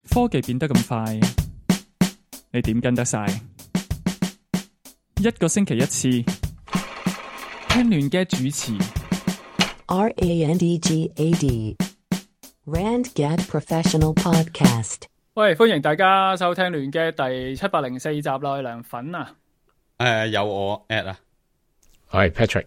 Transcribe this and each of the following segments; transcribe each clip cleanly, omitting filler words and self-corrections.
科技變得咁快，你點跟得晒？一個星期一次，聽亂嘅主持。RANDGAD RandGad Professional Podcast。喂，歡迎大家收聽亂嘅第704集啦，我係梁粉啊。有我 at 啊，我係 Patrick，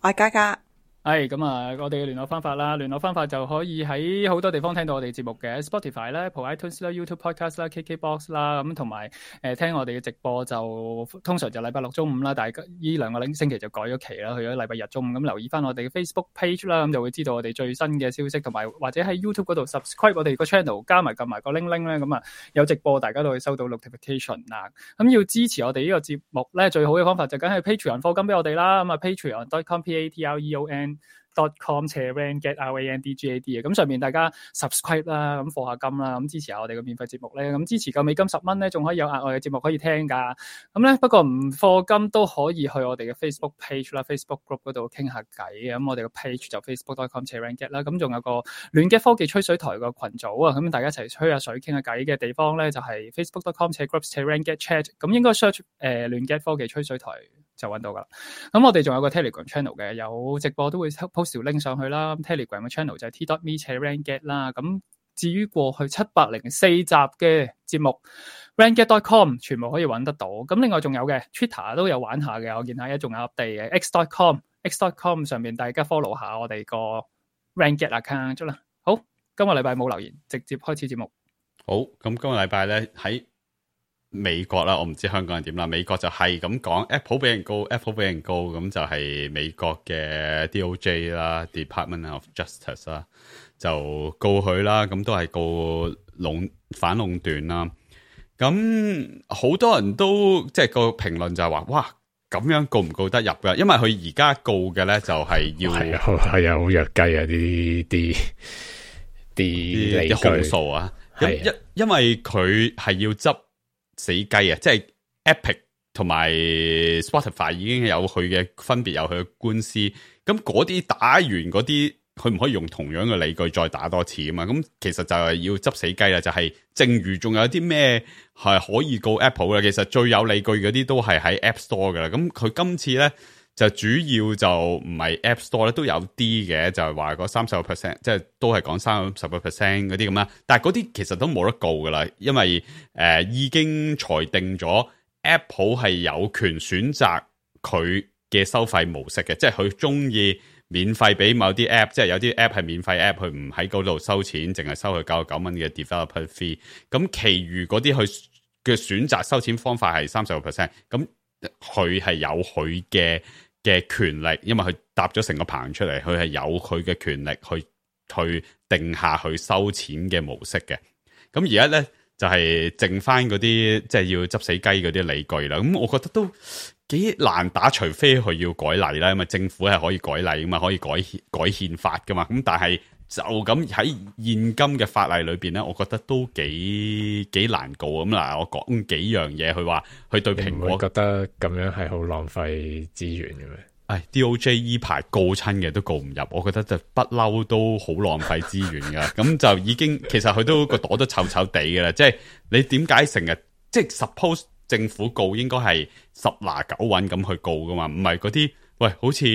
我係嘉嘉。咁啊，我哋嘅聯絡方法啦，聯絡方法就可以喺好多地方聽到我哋節目嘅 Spotify 啦、Apple iTunes 啦、YouTube Podcast 啦、KKBox 啦，咁同埋聽我哋嘅直播就通常就禮拜六中午啦，但係呢兩個星期就改咗期啦，去咗禮拜日中午。咁留意翻我哋嘅 Facebook page 啦，咁就會知道我哋最新嘅消息，同埋或者喺 YouTube 嗰度 subscribe 我哋個 channel， 加埋撳埋個 link 咧，咁啊有直播大家都會收到 notification 啦。咁要支持我哋呢個節目咧，最好嘅方法就梗係 Patreon 課金俾我哋啦。咁啊 patreon.com/RANGAD 嘅，咁上面大家 subscribe 啦，咁課下金啦，咁支持下我哋嘅免費節目咧，咁支持夠美金$10咧，仲可以有額外嘅節目可以聽噶。咁咧不過唔課金都可以去我哋嘅 Facebook page 啦、Facebook group 嗰度傾下偈嘅。咁我哋嘅 page 就 facebook.com/RANGAD 啦。咁仲有個亂嘅科技吹水台個群組啊，咁大家一齊吹下水傾下偈嘅地方咧，就係 facebook.com/groups/RANGAD-chat。咁應該 search 亂嘅科技吹水台就揾到噶啦。咁我哋仲有個 Telegram channel 嘅，有直播都會 post 條 link 上去啦。Telegram 嘅 channel 就係 t.me/RANGAD 啦。咁至於過去704集嘅節目 RANGAD.com 全部可以揾得到。咁另外仲有嘅 Twitter 都有玩下嘅，我見下一仲有 update 嘅 X.com 上面大家 follow 下我哋個 RANGAD account 咗啦。好，今個禮拜冇留言，直接開始節目。好，咁今個禮拜咧喺美國啦，我唔知香港係點啦。美國就係咁講 Apple 俾人告 Apple 俾人告，咁就係美國嘅 DOJ 啦 Department of Justice 啦，就告佢啦，咁都係告反壟斷啦。咁好多人都即係個評論就係話，哇，咁樣告唔告得入噶？因為佢而家告嘅咧就係要係啊好弱雞啊啲控訴啊，因為佢係要執死雞啊，即係 Epic 同埋 Spotify 已經有佢嘅分別，有佢嘅官司。咁嗰啲打完嗰啲，佢唔可以用同樣嘅理據再打多次啊嘛。咁其實就係要執死雞啦，就係正如仲有啲咩係可以告 Apple 嘅，其實最有理據嗰啲都係喺 App Store 噶啦。咁佢今次咧就主要就唔係 App Store 咧，都有啲嘅，就係話嗰30%，即係都係講30% 嗰啲咁啦。但係嗰啲其實都冇得告噶啦，因為已經裁定咗 Apple 係有權選擇佢嘅收費模式嘅，即係佢中意免費俾某啲 App， 即係有啲 App 係免費 App， 佢唔喺嗰度收錢，淨係收佢99蚊嘅 developer fee。咁其餘嗰啲佢嘅選擇收錢方法係30%，咁佢係有佢嘅權力，因為佢搭咗成個棚出嚟，佢係有佢嘅權力去定下去收錢嘅模式嘅。咁而家咧就係剩翻嗰啲即係要執死雞嗰啲理據啦。咁我覺得都幾難打，除非佢要改例啦，因為政府係可以改例噶嘛，可以改憲法噶嘛。咁但係就咁喺現今嘅法例裏邊咧，我覺得都幾難告。咁嗱，我講幾樣嘢，佢話佢對蘋果覺得咁樣係好浪費資源嘅咩？DOJ 依排告親嘅都告唔入，我覺得就不嬲都好浪費資源噶。咁就已經其實佢都個朵都臭臭地嘅啦。即係你點解成日即係 suppose 政府告應該係10拿9穩咁去告噶嘛？唔係嗰啲喂好似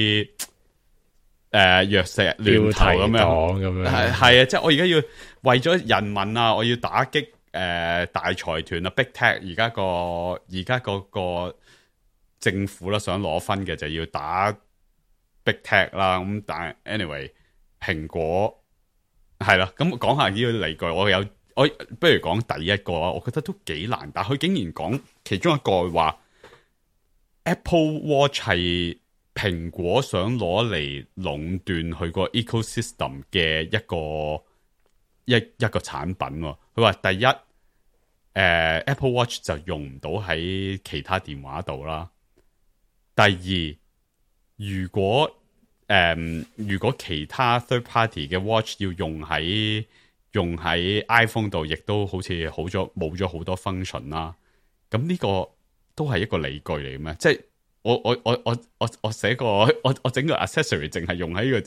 藥石亂投咁樣，係啊！即係我而家要為咗人民啊，我要打擊大財團啊 ，Big Tech 而家個政府啦，想攞分嘅就要打 Big Tech 啦。咁但係 anyway， 蘋果係啦。咁講下呢個理據，我不如講第一個啊，我覺得都幾難。但係佢竟然講其中一個話 Apple Watch 係蘋果想攞嚟壟斷佢個 ecosystem 嘅一個產品。佢話第一，Apple Watch 就用唔到喺其他電話度啦。第二，如果其他 third party 嘅 watch 要用喺 iPhone 度，亦都好似冇咗好多 function 啦。咁呢個都係一個理據嚟嘅咩？即係我寫個我整個 accessory 淨係用喺呢個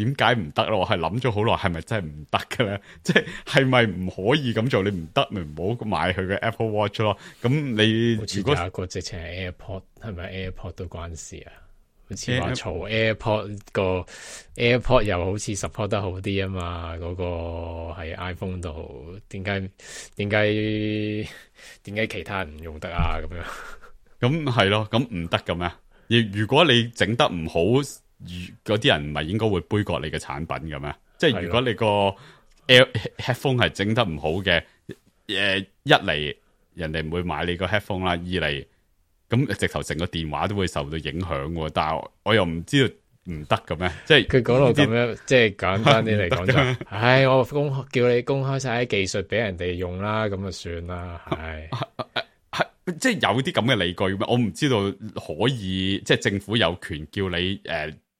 點解唔得咯？我係諗咗好耐，係咪真係唔得嘅咧？即係咪唔可以咁做？你唔得咪唔好買佢嘅 Apple Watch 咯。咁你如果有一個直情係 AirPod， 係咪 AirPod 都關事啊？好似話嘈 AirPod 個 AirPod 又好似 support 得好啲啊嘛，嗰個喺 iPhone 度，點解其他人唔用得啊？咁樣咁係咯，咁唔得嘅咩？如果你整得唔好，嗰啲人唔係應該會杯葛你嘅產品嘅咩？即係如果你個 headphone 係整得唔好嘅，一嚟人哋唔會買你個 headphone 啦，二嚟咁直頭成個電話都會受到影響喎。但係我又唔知道唔得嘅咩？即係佢講到咁樣，即係簡單啲嚟講就，我叫你公開晒啲技術俾人哋用啦，咁就算啦，即係有啲咁嘅理據咩？我唔知道可以，即係政府有權叫你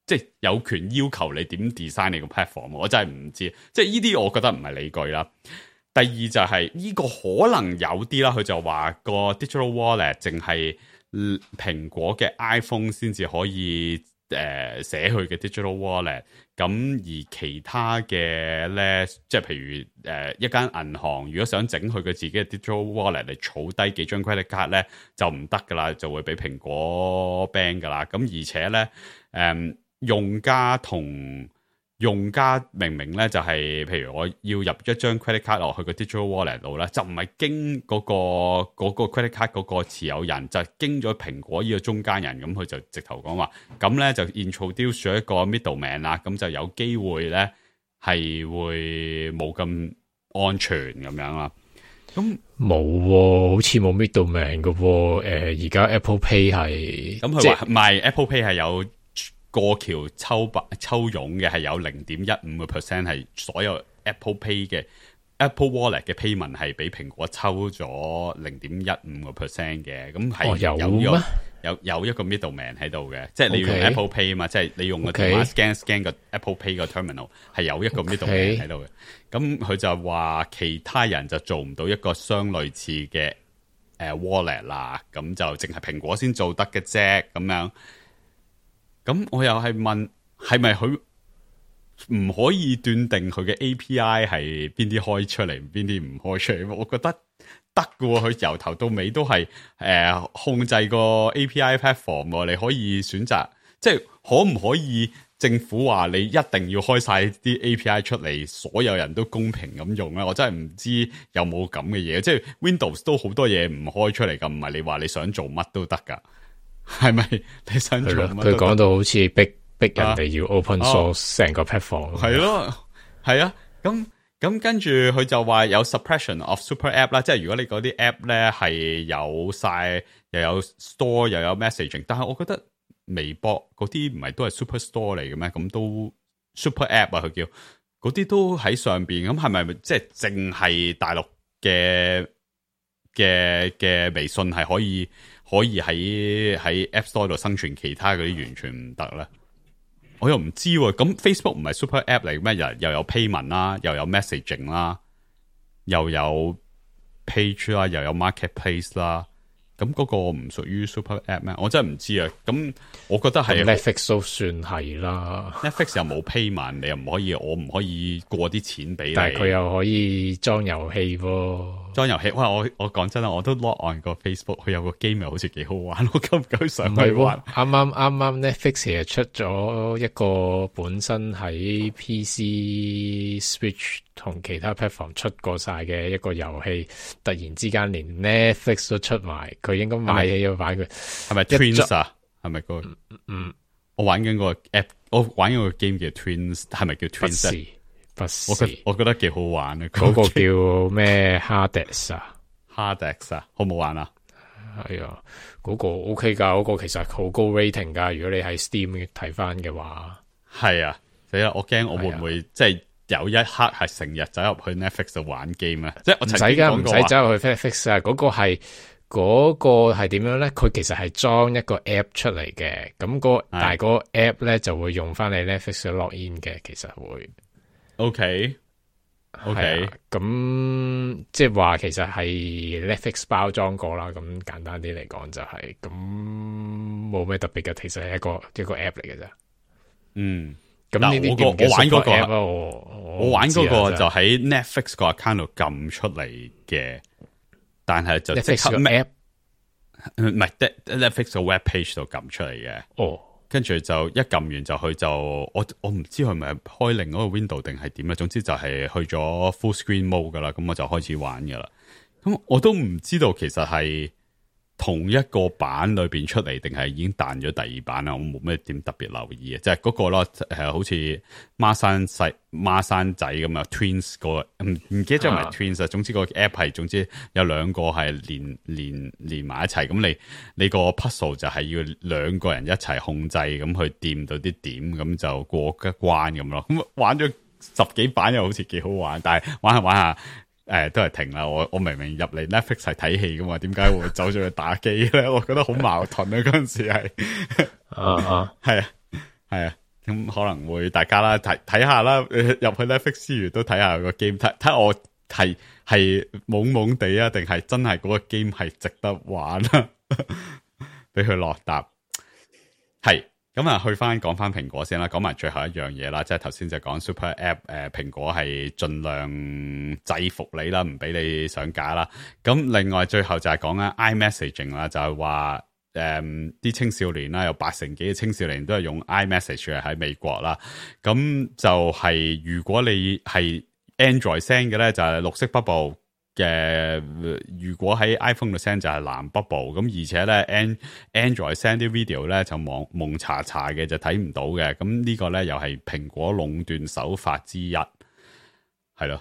即係有權要求你點 design 你個 platform， 我真係唔知。即係呢啲我覺得唔係理據啦。第二就係呢個可能有啲啦，佢就話個 digital wallet 淨係蘋果嘅 iPhone 先至可以寫佢嘅 digital wallet， 咁而其他嘅咧，即係譬如一間銀行如果想整佢嘅自己嘅 digital wallet 嚟儲低幾張 credit card 咧，就唔得噶啦，就會俾蘋果 ban 噶啦。咁而且咧用家明明咧就係、譬如我要入一張 credit card 落去個 digital wallet 度咧，就唔係經嗰個 credit card 嗰個持有人，就係經咗蘋果呢個中間人，咁佢就直頭講話，咁咧就 introduce 咗一個 middleman 啦，咁就有機會咧係會冇咁安全咁樣啦。咁冇，好似冇 middleman 嘅喎。而家 Apple Pay 係，咁佢話唔係 Apple Pay 係有過橋抽佣嘅，係有 0.15% 係所有 Apple Pay 嘅 Apple Wallet 嘅 payment 係俾蘋果抽咗 0.15% 嘅，咁係有一個 middleman 喺度嘅，即係你要用 Apple Pay 啊嘛，即係你用個電話 scan 個 Apple Pay 個 terminal 係有一個 middleman 喺度嘅，咁佢就話其他人就做唔到一個相類似嘅wallet 啦，咁就淨係蘋果先做得嘅啫，咁樣。咁我又係問，係咪佢唔可以斷定佢嘅 API 係邊啲開出嚟，邊啲唔開出嚟？我覺得得㗎喎，佢由頭到尾都係控制個 API platform，你可以選擇，即係可唔可以政府話你一定要開晒啲 API 出嚟，所有人都公平咁用咧？我真係唔知有冇咁嘅嘢，即係 Windows 都好多嘢唔開出嚟㗎，唔係你話你想做乜都得㗎。係咪你想做乜？佢講到好似逼人哋要 open source 成個 platform。係咯，係啊。咁跟住佢就話有 suppression of super app 啦，即係如果你嗰啲 app 咧係有晒又有 store 又有 messaging， 但係我覺得微博嗰啲唔係都係 super store 嚟嘅咩？咁都 super app 啊，佢叫嗰啲都喺上邊。咁係咪即係淨係大陸嘅微信係可以喺 App Store 度生存，其他嗰啲完全唔得咧？我又唔知喎。咁 Facebook 唔係 Super App 嚟咩？又有 payment 啦，又有 messaging 啦，又有 page 啦，又有 marketplace 啦。咁嗰個唔屬於 Super App 咩？我真係唔知啊。咁我覺得係 Netflix 都算係啦。Netflix 又冇 payment， 你又唔可以，我唔可以過啲錢俾你。但係佢又可以裝遊戲喎。裝遊戲，哇！我講真啦，我都 log on 個 Facebook， 佢有個 game 又好似幾好玩，我夠唔夠上去玩？啱啱 Netflix 其實出咗一個本身喺 PC、Switch 同其他 platform 出過晒嘅一個遊戲，突然之間連 Netflix 都出埋，佢應該買起咗玩佢。係咪 Twins 啊？係咪個？我玩緊個 app， 我玩緊個 game 叫 Twins， 係咪叫 Twins？不是，我覺得幾好玩啊！嗰個叫咩 Hades 啊 ？Hades 啊，好唔好玩啊？係啊，嗰個 OK 噶，嗰個其實好高 rating 噶。如果你喺 Steam 睇翻嘅話，係啊，所以我驚我會唔會即係有一刻係成日走入去 Netflix 度玩 game 啊？即係我唔使噶，唔使走入去 Netflix 啊。嗰個係點樣咧？佢其實係裝一個 app 出嚟嘅，咁但係嗰個 app 咧就會用翻你 Netflix 嘅 login 嘅，其實會。OK，咁即係話其實係 Netflix 包裝過啦，咁簡單啲嚟講就係咁冇咩特別嘅，其實係一個 app 嚟嘅啫。咁呢啲我玩嗰個 app 我玩嗰個就喺 Netflix 個 account 度撳出嚟嘅，但係就即刻 app 唔係 Netflix 個 web page 度撳出嚟嘅。哦，跟住就一撳完就去就我唔知係咪開另一個 window 定係點啦，總之就係去咗 full screen mode 噶啦，咁我就開始玩噶啦。咁我都唔知道其實係同一個版裏邊出嚟，定係已經彈咗第二版啦。我冇咩點特別留意嘅，即係嗰個咯，好似孖生仔咁啊 ，twins 個唔記得咗係咪 twins 啊？總之個 app 係，總之有兩個係連埋一齊。咁你個 puzzle 就係要兩個人一齊控制，咁去掂到啲點，咁就過一關咁咯。咁玩咗10幾版又好似幾好玩，但係玩下。都係停啦！我明明入嚟 Netflix 係睇戲噶嘛，點解會走咗去打機咧？我覺得好矛盾啊！嗰陣時係係啊，咁可能會大家啦睇下啦，入去 Netflix 之餘都睇下個 game， 睇我係懵懵地啊，定係真係嗰個 game 係值得玩啊？俾佢落答係。咁啊，講翻蘋果先啦，講埋最後一樣嘢啦，即係頭先就講 Super App，蘋果係盡量制服你啦，唔俾你上架啦。咁另外最後就係講緊 iMessaging 啦，就係話啲青少年啦，有80%幾嘅青少年都係用 iMessage 嘅喺美國啦。咁就係如果你係 Android send 嘅咧，就係綠色 bubble。如果喺 iPhone 度 send 就係藍 bubble， 咁而且咧 Android send 啲 video 咧就蒙查查嘅，就睇唔到嘅。咁呢個咧又係蘋果壟斷手法之一，係咯。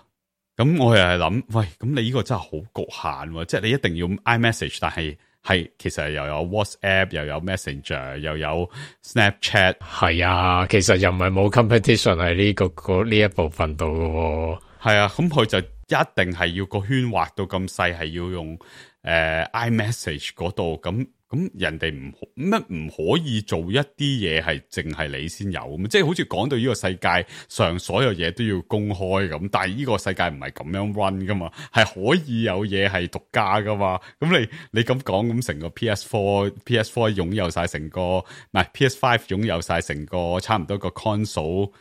咁我又係諗，喂，咁你呢個真係好局限喎，即係你一定要 iMessage， 但係其實又有 WhatsApp， 又有 Messenger， 又有 Snapchat， 係啊，其實又唔係冇 competition 喺呢一部分度嘅。係啊，咁佢就一定係要個圈畫到咁細，係要用iMessage 嗰度，咁人哋唔可以做一啲嘢係淨係你先有咁，即係好似講到呢個世界上所有嘢都要公開咁，但係呢個世界唔係咁樣 run 噶嘛，係可以有嘢係獨家噶嘛，咁你咁講，咁成個 PS4 擁有晒成個，唔係 PS5 擁有晒成個差唔多個 console。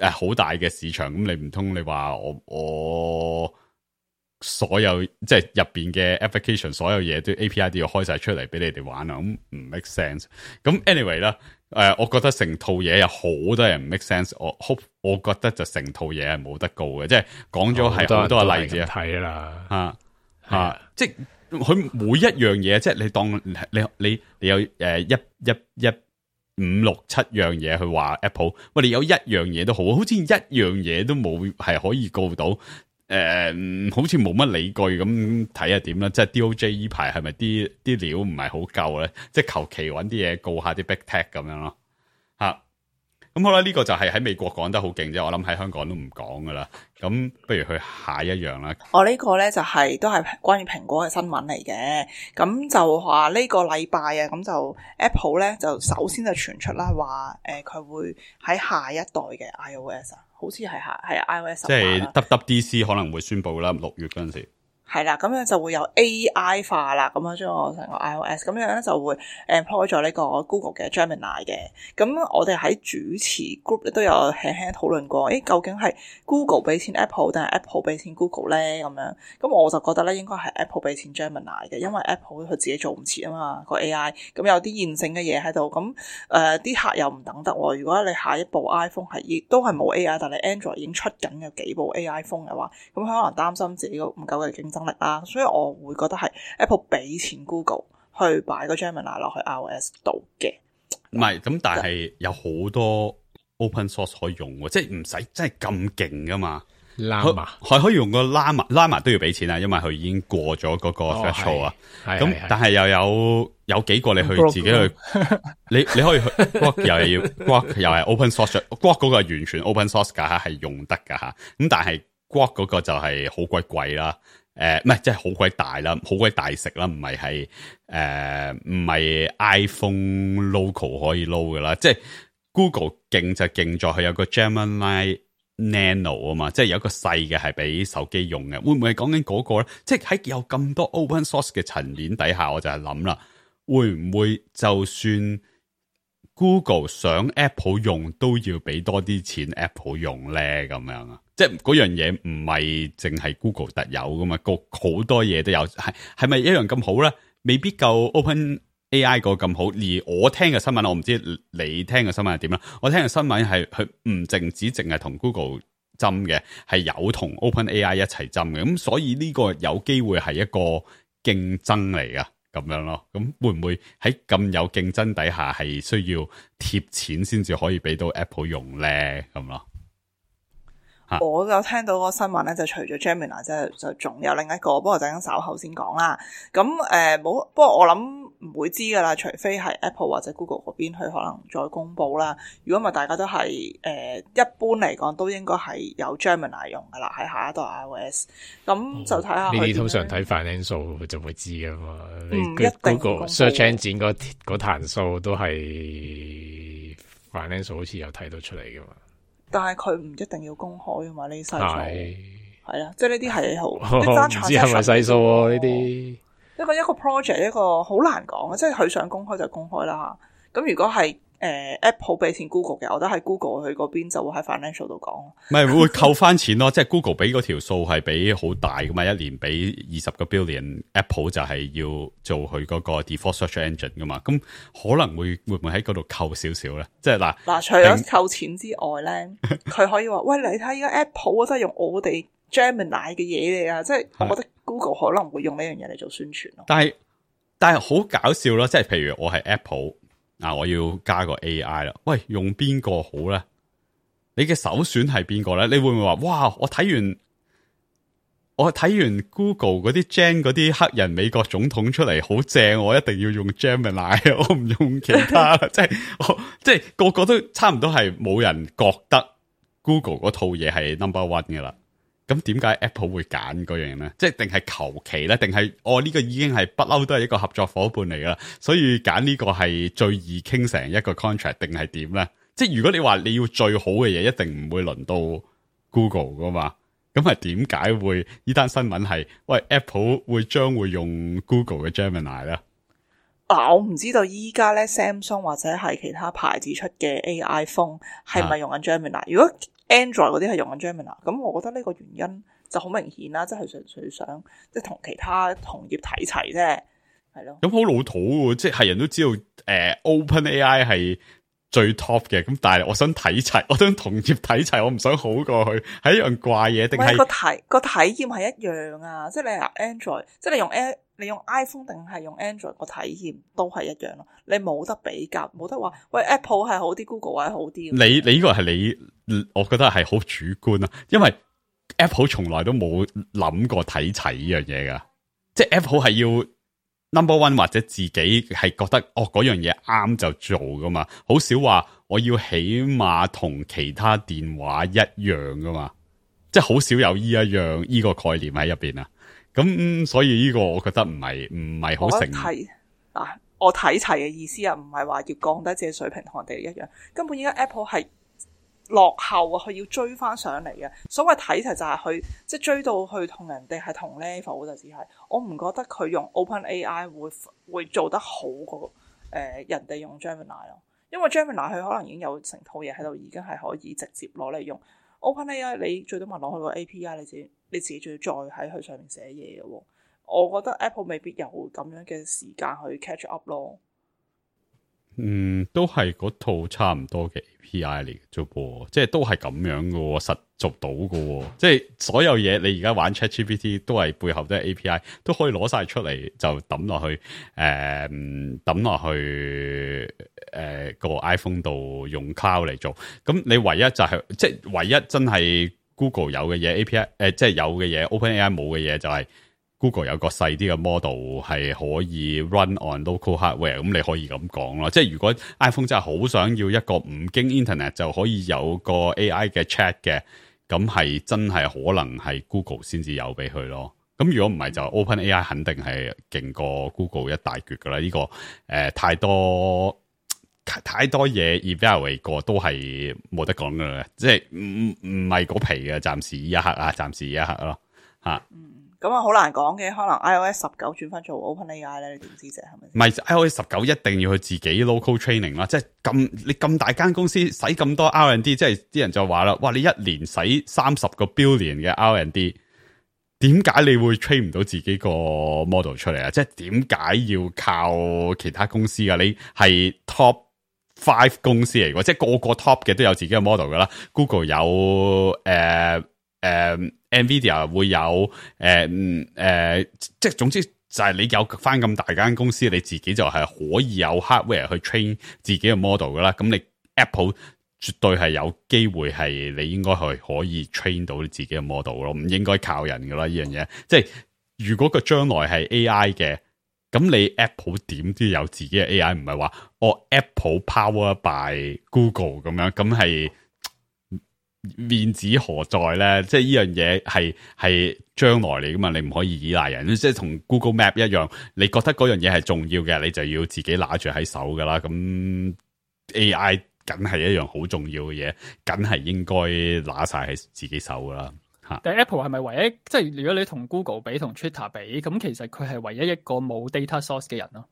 好大嘅市場，咁你唔通你話我所有即係入邊嘅 application 所有嘢都 API 都要開晒出嚟俾你哋玩啊？咁唔 make sense。咁 anyway 啦，我覺得成套嘢有好多人唔 make sense。我覺得就成套嘢係冇得告嘅，即係講咗係好多例子睇啦，即係佢每一樣嘢，即係你當你有5、6、7樣嘢去話 Apple， 喂，你有一樣嘢都好似一樣嘢都冇係可以告到，好似冇乜理據咁，睇下點啦。即係 DOJ 呢排係咪啲料唔係好夠咧？即係求其揾啲嘢告下啲 Big Tech 咁樣咯，咁好啦，呢個就係喺美國講得好勁啫，我諗喺香港都唔講噶啦。咁不如去下一樣啦。我呢個咧就係都係關於蘋果嘅新聞嚟嘅。咁就話呢個禮拜啊，咁就 Apple 咧就首先就傳出啦，話佢會喺下一代嘅 iOS 啊，好似係iOS 即係 WWDC 可能會宣布啦，6月嗰陣時。係啦，咁樣就會有 AI 化啦，咁樣將我成個 iOS， 咁樣咧就會 employ 咗呢個 Google 嘅 Gemini 嘅。咁我哋喺主持 group 都有輕輕討論過，究竟係 Google 俾錢 Apple 定係 Apple 俾錢 Google 咧？咁樣，咁我就覺得咧應該係 Apple 俾錢 Gemini 嘅，因為 Apple 佢自己做唔切啊嘛個 AI，咁有啲現成嘅嘢喺度，咁啲客又唔等得喎。如果你下一部 iPhone 都係冇 AI，但係 Android 已經出緊有幾部 AI phone 嘅話，咁佢可能擔心自己個唔夠嘅競爭力啦，所以我會覺得係 Apple 俾錢 Google 去擺個 Gemini 落去 iOS 度嘅。唔係咁，但係有好多 open source 可以用喎，即係唔使真係咁勁噶嘛。Llama 佢可以用個 Llama 都要俾錢啊，因為佢已經過咗嗰個 threshold 啊。咁但係又有幾個你去自己去，你可以去 Grok 又要 Grok 又係 open source，Grok 嗰個係完全 open source 噶吓，係用得噶吓。咁但係 Grok 嗰個就係好鬼貴啦。唔係，即係好鬼大啦，好鬼大食啦，唔係 iPhone local 可以撈噶啦，即係 Google 勁就勁在佢有個 Gemini Nano 啊嘛，即係有一個細嘅係俾手機用嘅，會唔會係講緊嗰個咧？即係喺有咁多 open source 嘅層面底下，我就係諗啦，會唔會就算 Google 想 Apple 用都要俾多啲錢 Apple 用咧？咁樣啊？即係嗰樣嘢唔係淨係 Google 特有噶嘛，好多嘢都有，係咪一樣咁好咧？未必夠 OpenAI 個咁好。而我聽嘅新聞，我唔知你聽嘅新聞係點啦。我聽嘅新聞係佢唔淨係同 Google 針嘅，係有同 OpenAI 一齊針嘅。咁所以呢個有機會係一個競爭嚟噶，咁樣咯。咁會唔會喺咁有競爭底下係需要貼錢先至可以俾到 Apple 用咧？咁咯。我有聽到個新聞咧，就除咗 Gemini 就仲有另一個，不過陣間稍後先講啦。咁冇，不過我諗唔會知噶啦，除非係 Apple 或者 Google 嗰邊佢可能再公布啦。如果唔係，大家都係一般嚟講都應該係有 Gemini 用噶啦，喺下一代 iOS。咁就睇下呢啲通常睇 financial 就會知噶嘛。一定 Google search engine 嗰壇數都係 financial 好似有睇到出嚟噶嘛。但係佢唔一定要公開噶嘛，呢啲細數係啦，即係呢啲係好，唔知係咪細數喎呢啲。一個 project 一個好難講嘅，即係佢想公開就公開啦嚇。咁如果係Apple 俾錢 Google 嘅，我覺得喺 Google 佢嗰邊就會喺 financial 度講。唔係會扣翻錢咯，即係 Google 俾嗰條數係俾好大噶嘛，一年俾20個 billion，Apple 就係要做佢嗰個 default search engine 噶嘛，咁可能會唔會喺嗰度扣少少咧？即係嗱，除咗扣錢之外咧，佢可以話：喂，你睇而家 Apple 都係用我哋 Gemini 嘅嘢嚟啊！即係我覺得 Google 可能會用呢樣嘢嚟做宣傳咯。但係好搞笑咯，即係譬如我係 Apple。我要加個 AI 啦。喂，用邊個好咧？你嘅首選係邊個咧？你會唔會話哇？我睇完 Google 嗰啲 Gen 嗰啲黑人美國總統出嚟好正，我一定要用 Gemini， 我唔用其他。即係個個都差唔多係冇人覺得 Google 嗰套嘢係 number one 噶啦。咁點解 Apple 會揀嗰樣咧？即係定係求其咧？定係呢個已經係不嬲都係一個合作伙伴嚟噶啦，所以揀呢個係最易傾成一個 contract 定係點咧？即係如果你話你要最好嘅嘢，一定唔會輪到 Google 噶嘛？咁係點解會呢單新聞係喂 Apple 將會用 Google 嘅 Gemini 咧？我唔知道依家咧 Samsung 或者係其他牌子出嘅 AI phone 係咪用緊 Gemini？如果 Android 嗰啲係用緊 Gemini， 咁我覺得呢個原因就好明顯啦，即係純粹想即係同其他同業睇齊啫，係咯。咁好老土喎，即係人都知道OpenAI 係最 top 嘅，咁但係我想睇齊，我想同業睇齊，我唔想好過去，係一樣怪嘢定係個體驗係一樣啊？即係你用 Android，即係你用 iPhone 定係用 Android 個體驗都係一樣咯。你冇得比較，冇得話喂 Apple 係好啲 ，Google 係好啲。你呢個係你，我覺得係好主觀啊，因為 Apple 從來都冇諗過睇齊呢樣嘢噶，即係 Apple 係要 number one 或者自己係覺得嗰樣嘢啱就做噶嘛，好少話我要起碼同其他電話一樣噶嘛，即係好少有呢個概念喺入邊啊。咁所以呢個我覺得唔係好成。我睇齊嘅意思啊，唔係話要降低自己水平同人哋一樣，根本而家 Apple 係落後啊，佢要追翻上嚟嘅。所謂睇齊就係佢即係追到去同人哋係同 level 就只係，我唔覺得佢用 OpenAI 會做得好過人哋用 Gemini 咯，因為 Gemini 佢可能已經有成套嘢喺度，已經係可以直接攞嚟用。OpenAI 你最多咪攞佢個 API， 你自己仲要再喺佢上面寫嘢嘅喎。我覺得 Apple 未必有咁樣嘅時間去 catch up 咯。都係嗰套差唔多嘅 API 嚟嘅啫噃，即係都係咁樣嘅喎，實做到嘅喎。即係所有嘢你而家玩 ChatGPT 都係背後都係 API，都可以攞晒出嚟就抌落去個 iPhone 度用 Cloud 嚟做。咁你唯一就係即係唯一真係 Google 有嘅嘢 API，即係有嘅嘢 OpenAI 冇嘅嘢就係。Google 有個細啲嘅 model 係可以 run on local hardware， 咁你可以咁講咯。即係如果 iPhone 真係好想要一個唔經 internet 就可以有個 AI 嘅 chat 嘅，咁係真係可能係 Google 先至有俾佢咯。咁如果唔係就 OpenAI 肯定係勁過 Google 一大橛噶啦。呢個太多嘢 evaluate 過都係冇得講噶啦，即係唔係嗰皮嘅，暫時一刻咯吓。咁啊好難講嘅，可能 iOS 19轉翻做 OpenAI 咧，你點知啫？係咪？唔係 iOS 19一定要去自己 local training 啦，即係你咁大間公司使咁多 R&D， 即係啲人就話啦，哇！你一年使30個 billion 嘅 R&D， 點解你會 train 唔到自己個 model 出嚟啊？即係點解要靠其他公司啊？你係 top 5公司嚟嘅，即係個個 top 嘅都有自己嘅 model 噶啦 ，Google 有Nvidia 會有即係總之就係你有翻咁大間公司，你自己就係可以有 hardware 去 train 自己嘅 model 噶啦。咁你 Apple 絕對係有機會係你應該係可以 train 到你自己嘅 model 咯，唔應該靠人噶啦呢樣嘢。即係如果個將來係 AI 嘅，咁你 Apple 點都有自己嘅 AI，唔係話Apple power by Google 咁樣，咁係。面子何在咧？即係呢樣嘢係將來嚟噶嘛？你唔可以依賴人，即係同 Google Map 一樣。你覺得嗰樣嘢係重要嘅，你就要自己拿住喺手噶啦。咁 AI 梗係一樣好重要嘅嘢，梗係應該拿晒喺自己手噶啦。吓，但係 Apple 係咪唯一？即係如果你同 Google 比，同 Twitter 比，咁其實佢係唯一一個冇 data source 嘅人咯。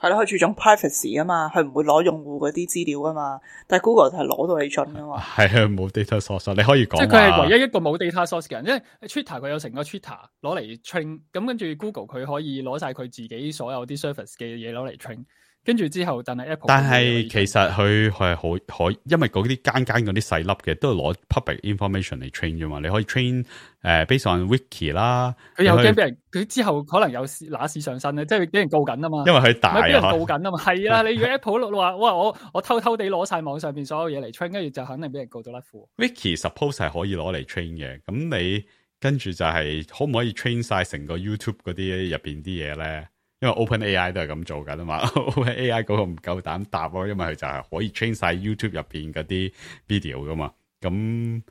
係咯，佢注重 privacy 啊嘛，佢唔會攞用戶嗰啲資料啊嘛，但係 Google 就係攞到你盡啊嘛。係啊，冇 data source， 你可以講。即係佢係唯一一個冇 data source 嘅人，因為 Twitter 佢有成個 Twitter 攞嚟 train， 咁跟住 Google 佢可以攞晒佢自己所有啲 service 嘅嘢攞嚟 train， 跟住之後，但係 Apple， 但係其實佢係可，因為嗰啲間嗰啲細粒嘅都係攞 public information 嚟 train 啫嘛，你可以 train based on wiki 啦。佢又驚俾人，佢之後可能有揦屎上身咧，即係俾人告緊啊嘛。因為佢大啊，俾人告緊啊嘛。係啊，你如果 Apple 話哇，我偷偷地攞晒網上邊所有嘢嚟 train， 跟住就肯定俾人告到甩褲。Wiki suppose 係可以攞嚟 train 嘅，咁你跟住就係可唔可以 train 晒成個 YouTube 嗰啲入邊啲嘢咧？因為 OpenAI 都係咁做緊啊嘛，OpenAI 嗰個唔夠膽答咯，因為佢就係可以 train 晒 YouTube 入邊嗰啲 video 噶嘛，咁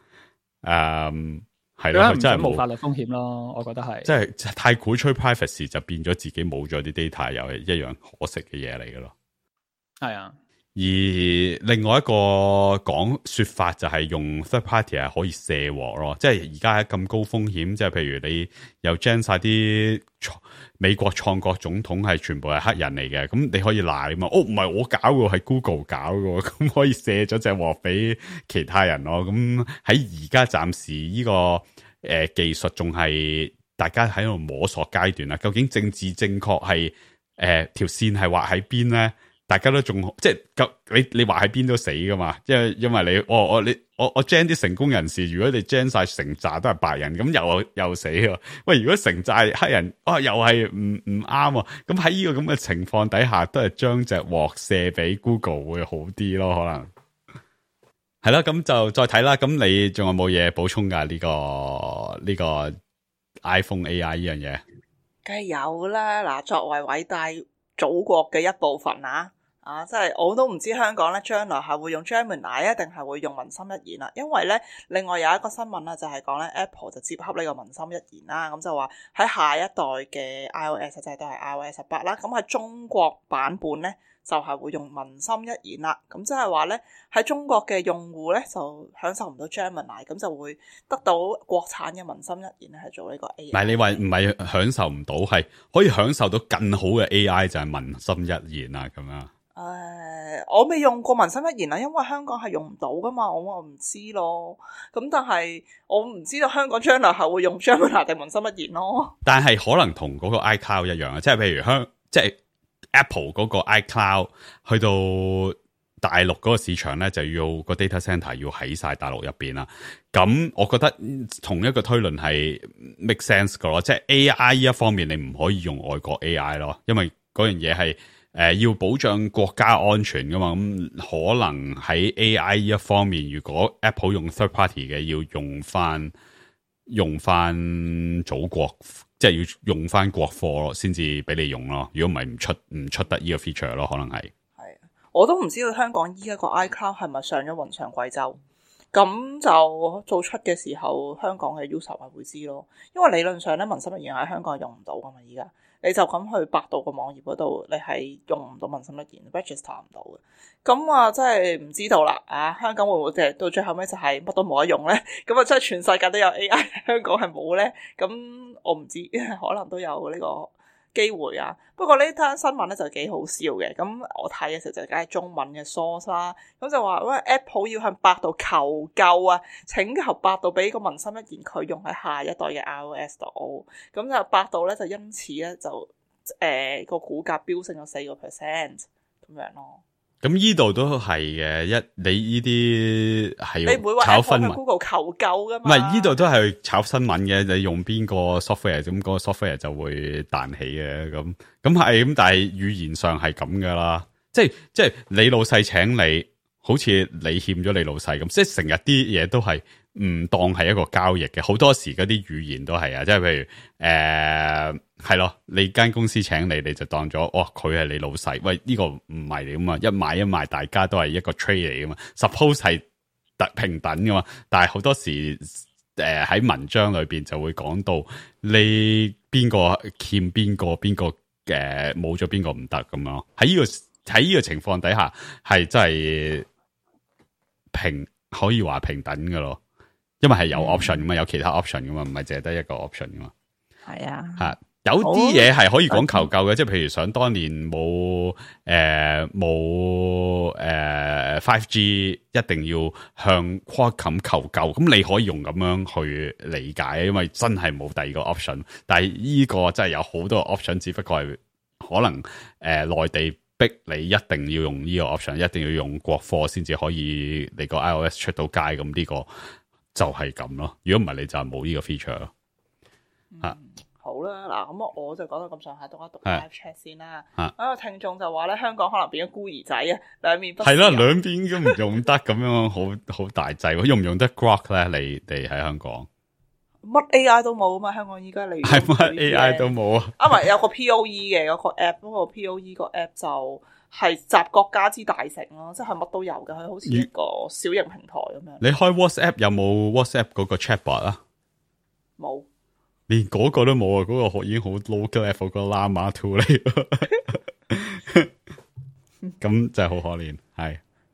係咯，佢真係冇法律風險咯，我覺得係，即係太鼓吹 privacy 就變咗自己冇咗啲 data， 又係一樣可惜嘅嘢嚟噶咯。係啊，而另外一個說法就係用 third party 係可以卸鑊咯，即係而家咁高風險，即係譬如你又 gen 晒啲美國創國總統係全部係黑人嚟嘅，咁你可以賴嘛？唔係我搞嘅，係 Google 搞嘅，咁可以卸咗隻鑊俾其他人咯。咁喺而家暫時呢個技術仲係大家喺度摸索階段啦。究竟政治正確係條線係畫喺邊咧？大家都仲即係你話喺邊都死噶嘛？因為你我 gen 啲成功人士，如果你 gen 晒成紮都係白人，咁又死喎。喂，如果成紮係黑人，又係唔啱喎。咁喺呢個咁嘅情況底下，都係將隻鑊射俾 Google 會好啲咯，可能係啦。咁就再睇啦。咁你仲有冇嘢補充噶？呢個 iPhone AI 呢樣嘢，梗係有啦。嗱，作為偉大祖國嘅一部分即係我都唔知香港咧將來係會用 Gemini 定係會用文心一言啦。因為咧，另外有一個新聞啦，就係講咧 Apple 就接洽呢個文心一言啦。咁就話喺下一代嘅 iOS 即係都係 iOS 18啦。咁喺中國版本咧就係會用文心一言啦。咁即係話咧喺中國嘅用戶咧就享受唔到 Gemini， 咁就會得到國產嘅文心一言咧係做呢個 AI。唔係你話唔係享受唔到，係可以享受到更好嘅 AI 就係文心一言啊咁樣。我未用過文心一言啦，因為香港係用唔到噶嘛，我唔知咯。咁但係我唔知道香港將來係會用 Gemini 定文心一言咯。但係可能同嗰個 iCloud 一樣啊，即係譬如即係 Apple 嗰個 iCloud 去到大陸嗰個市場咧，就要個 data center 要喺晒大陸入邊啦。咁我覺得同一個推論係 make sense 噶咯，即係 AI 呢一方面你唔可以用外國 AI 咯，因為嗰樣嘢係要保障國家安全噶嘛，咁可能喺 AI 呢一方面，如果 Apple 用 third party 嘅，要用翻祖國，即係要用翻國貨咯，先至俾你用咯。如果唔係唔出得呢個 feature 咯，可能係。我都唔知道香港依家個 iCloud 係咪上咗雲上貴州。咁就做出嘅時候，香港嘅 user 係會知咯。因為理論上咧，文心一言喺香港係用唔到噶嘛，而家你就咁去百度個網頁嗰度，你係用唔到文心一言 register 唔到嘅。咁啊，真係唔知道啦啊！香港會唔會到最後尾就係乜都冇得用咧？咁啊，真係全世界都有 AI，香港係冇咧？咁我唔知，可能都有呢個機會啊。不過呢單新聞咧就幾好笑嘅。咁我睇嘅時候就梗係中文嘅 source 啦。咁就話喂 Apple 要向百度求救啊，請求百度俾個文心一言佢用喺下一代嘅 iOS 度。咁就百度咧就因此咧就個股價飆升咗4%咁樣咯。咁呢度都係嘅，你呢啲係你唔會話炒新聞 Google 求救噶嘛？唔係呢度都係炒新聞嘅，你用邊個 software 咁嗰個 software 就會彈起嘅，咁係咁，但係語言上係咁噶啦，即係你老細請你，好似你欠咗你老細咁，即係成日啲嘢都係唔當係一個交易嘅，好多時嗰啲語言都係啊，即係譬如係咯，你間公司請你就當咗，哇佢係你老細，喂呢個唔係你噶嘛，一買一賣大家都係一個 trade 嚟噶嘛 ，suppose 係平等噶嘛，但係好多時喺文章裏邊就會講到你邊個欠邊個冇咗邊個唔得咁樣，喺呢個情況底下係真係可以話平等噶咯，因為係有 option 噶嘛，有其他 option 噶嘛，唔係淨係得一個 option 噶嘛。係啊，有啲嘢係可以講求救嘅，即係譬如想當年冇 5G 一定要向 Qualcomm 求救，咁你可以用咁樣去理解，因為真係冇第二個 option。但係呢個真係有好多個 option，只不過係可能內地逼你一定要用呢個 option， 一定要用國貨先至可以你個 iOS 出到街，咁呢個就係咁咯。如果唔係，你就係冇呢個 feature 咯。好啦，嗱咁我就講到咁上下，讀一讀 live chat 先啦。個聽眾就話咧，香港可能變咗孤兒仔啊，兩面不是人。係啦，兩邊都唔用得咁樣，好大劑。用唔用得 Grok 咧？你哋喺香港乜 AI 都冇啊嘛？香港依家你係乜 AI 都冇啊？啊，唔係有個 POE 嘅嗰個 app， 嗰個 POE 個 app 就係集國家之大成咯，即係乜都有嘅，佢好似一個小型平台咁樣。你開 WhatsApp 有冇 WhatsApp 嗰個 chatbot 啊？冇。連嗰個都冇啊！嗰個已經好 local level 個 Llama 2嚟，咁就係好可憐。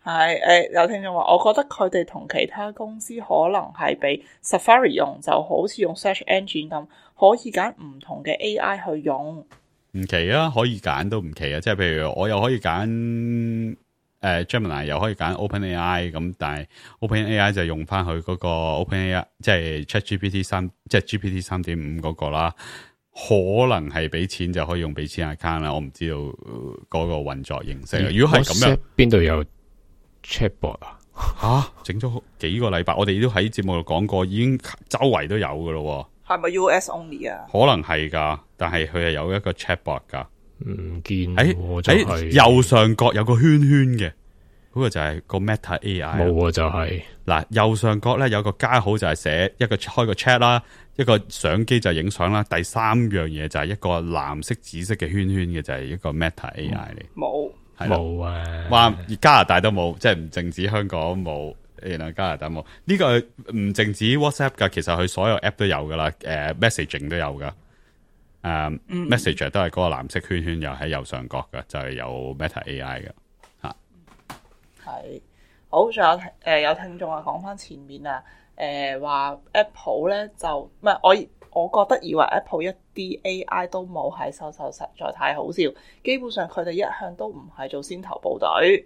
係有聽眾話，我覺得佢哋同其他公司可能係俾 Safari 用，就好似用 search engine 咁，可以揀唔同嘅 AI 去用。唔奇啊，可以揀都唔奇啊！即係譬如我又可以揀Gemini 又可以揀 OpenAI 咁，但係 OpenAI 就用翻佢嗰個 OpenAI， 即係 ChatGPT 3，即係 GPT 3.5嗰個啦。可能係俾錢就可以用俾錢 account 啦，我唔知道嗰個運作形式。如果係咁樣，邊度有 Chatbot 啊？整咗幾個禮拜，我哋都喺節目度講過，已經周圍都有噶咯。係咪 US only 啊？可能係噶，但係佢係有一個 Chatbot 噶。唔見喺右上角有個圈圈嘅，嗰個就係個 Meta AI。冇啊，就係嗱右上角咧有個加號就係寫一個開個 chat 啦，一個相機就影相啦，第三樣嘢就係一個藍色紫色嘅圈圈嘅就係一個 Meta AI 嚟。冇啊，話加拿大都冇，即係唔淨止香港冇，原來加拿大冇。呢個唔淨止 WhatsApp 噶，其實佢所有 app 都有噶啦，messaging 都有噶。Messenger 都係嗰個藍色圈圈，又喺右上角嘅，就係有 Meta AI 嘅吓。係好，仲有聽眾講翻前面啊，話 Apple 咧就唔係我覺得以為 Apple 一啲 AI 都冇喺手，實在太好笑。基本上佢哋一向都唔係做先頭部隊。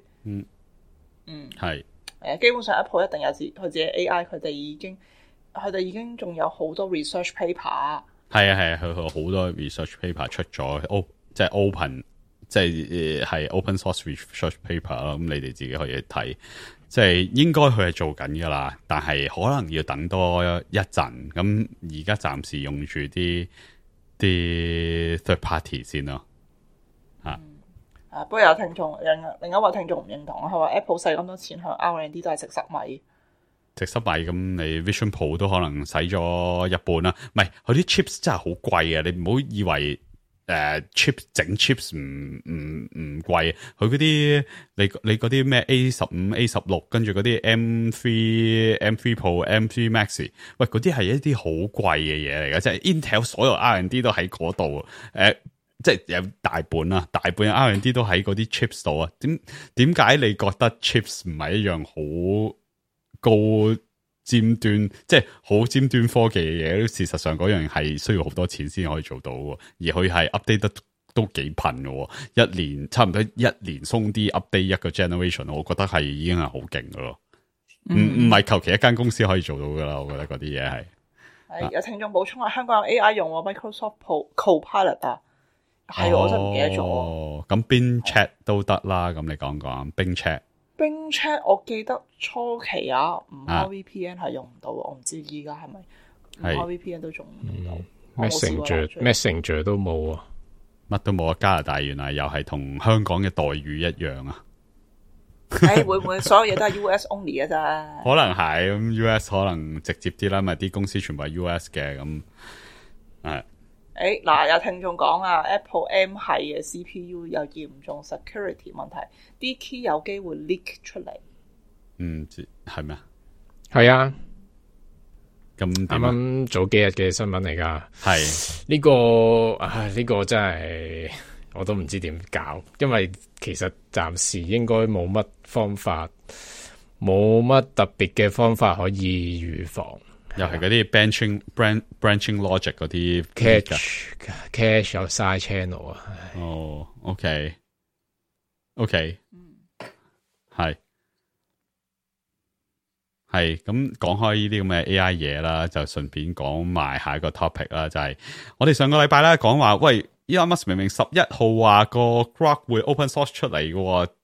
係基本上 Apple 一定有佢自己 AI，佢哋已經仲有好多 research paper。係啊，佢好多 research paper 出咗，即係 open， 即係open source research paper 啦。咁你哋自己可以睇，即係應該佢係做緊噶啦，但係可能要等多一陣。咁而家暫時用住啲 third party 先咯。不過有聽眾另一位聽眾唔認同，佢話 Apple 使咁多錢向 R&D 都係食塞米。食濕米咁，你 Vision Pro 都可能使咗一半啦。唔係，佢啲 chips 真係好貴啊！你唔好以為 chip 整 chips 唔貴，佢嗰啲你嗰啲咩 A15、A16，跟住嗰啲 M3 Pro、M3 Max， 喂嗰啲係一啲好貴嘅嘢嚟嘅，即係 Intel 所有 R&D 都喺嗰度，即係有大半 R&D 都喺嗰啲 chips 度啊。點解你覺得 chips 唔係一樣好高尖端，即係好尖端科技嘅嘢？事實上嗰樣係需要好多錢先可以做到嘅，而佢係 update 得都幾頻嘅，一年差唔多一年鬆啲 update 一個 generation， 我覺得係已經係好勁嘅咯。唔係求其一間公司可以做到噶啦，我覺得嗰啲嘢係。係有聽眾補充啊，香港有 AI 用喎 ，Microsoft Copilot 啊，係我真係唔記得咗。哦，咁 Bing Chat 都得啦，咁你講講 Bing Chat。Bing Chat 我記得初期啊，唔開 VPN 係用唔到，我唔知依家係咪唔開 VPN 都仲用到。Messenger 都冇啊，乜都冇啊！加拿大原來又係同香港嘅待遇一樣啊！會唔會所有嘢都係 US only 啊？咋？可能係咁 US 可能直接啲啦，咪啲公司全部係 US 嘅咁係。嗱，有聽眾講啊 ，Apple M 系嘅 CPU 有嚴重 security 問題，啲 key 有機會 leak 出嚟。係咩啊？係啊，咁啱啱早幾日嘅新聞嚟噶。係呢個真係我都唔知點搞，因為其實暫時應該冇乜方法，冇乜特別嘅方法可以預防。又係嗰啲 branching logic 嗰啲 cache 有 side channel 啊。哦 ，OK， 係咁講開呢啲咁嘅 AI 嘢啦，就順便講埋下一個 topic 啦，就係我哋上個禮拜咧講話，喂 Elon Musk 明明11號話個 Grok 會 open source 出嚟嘅，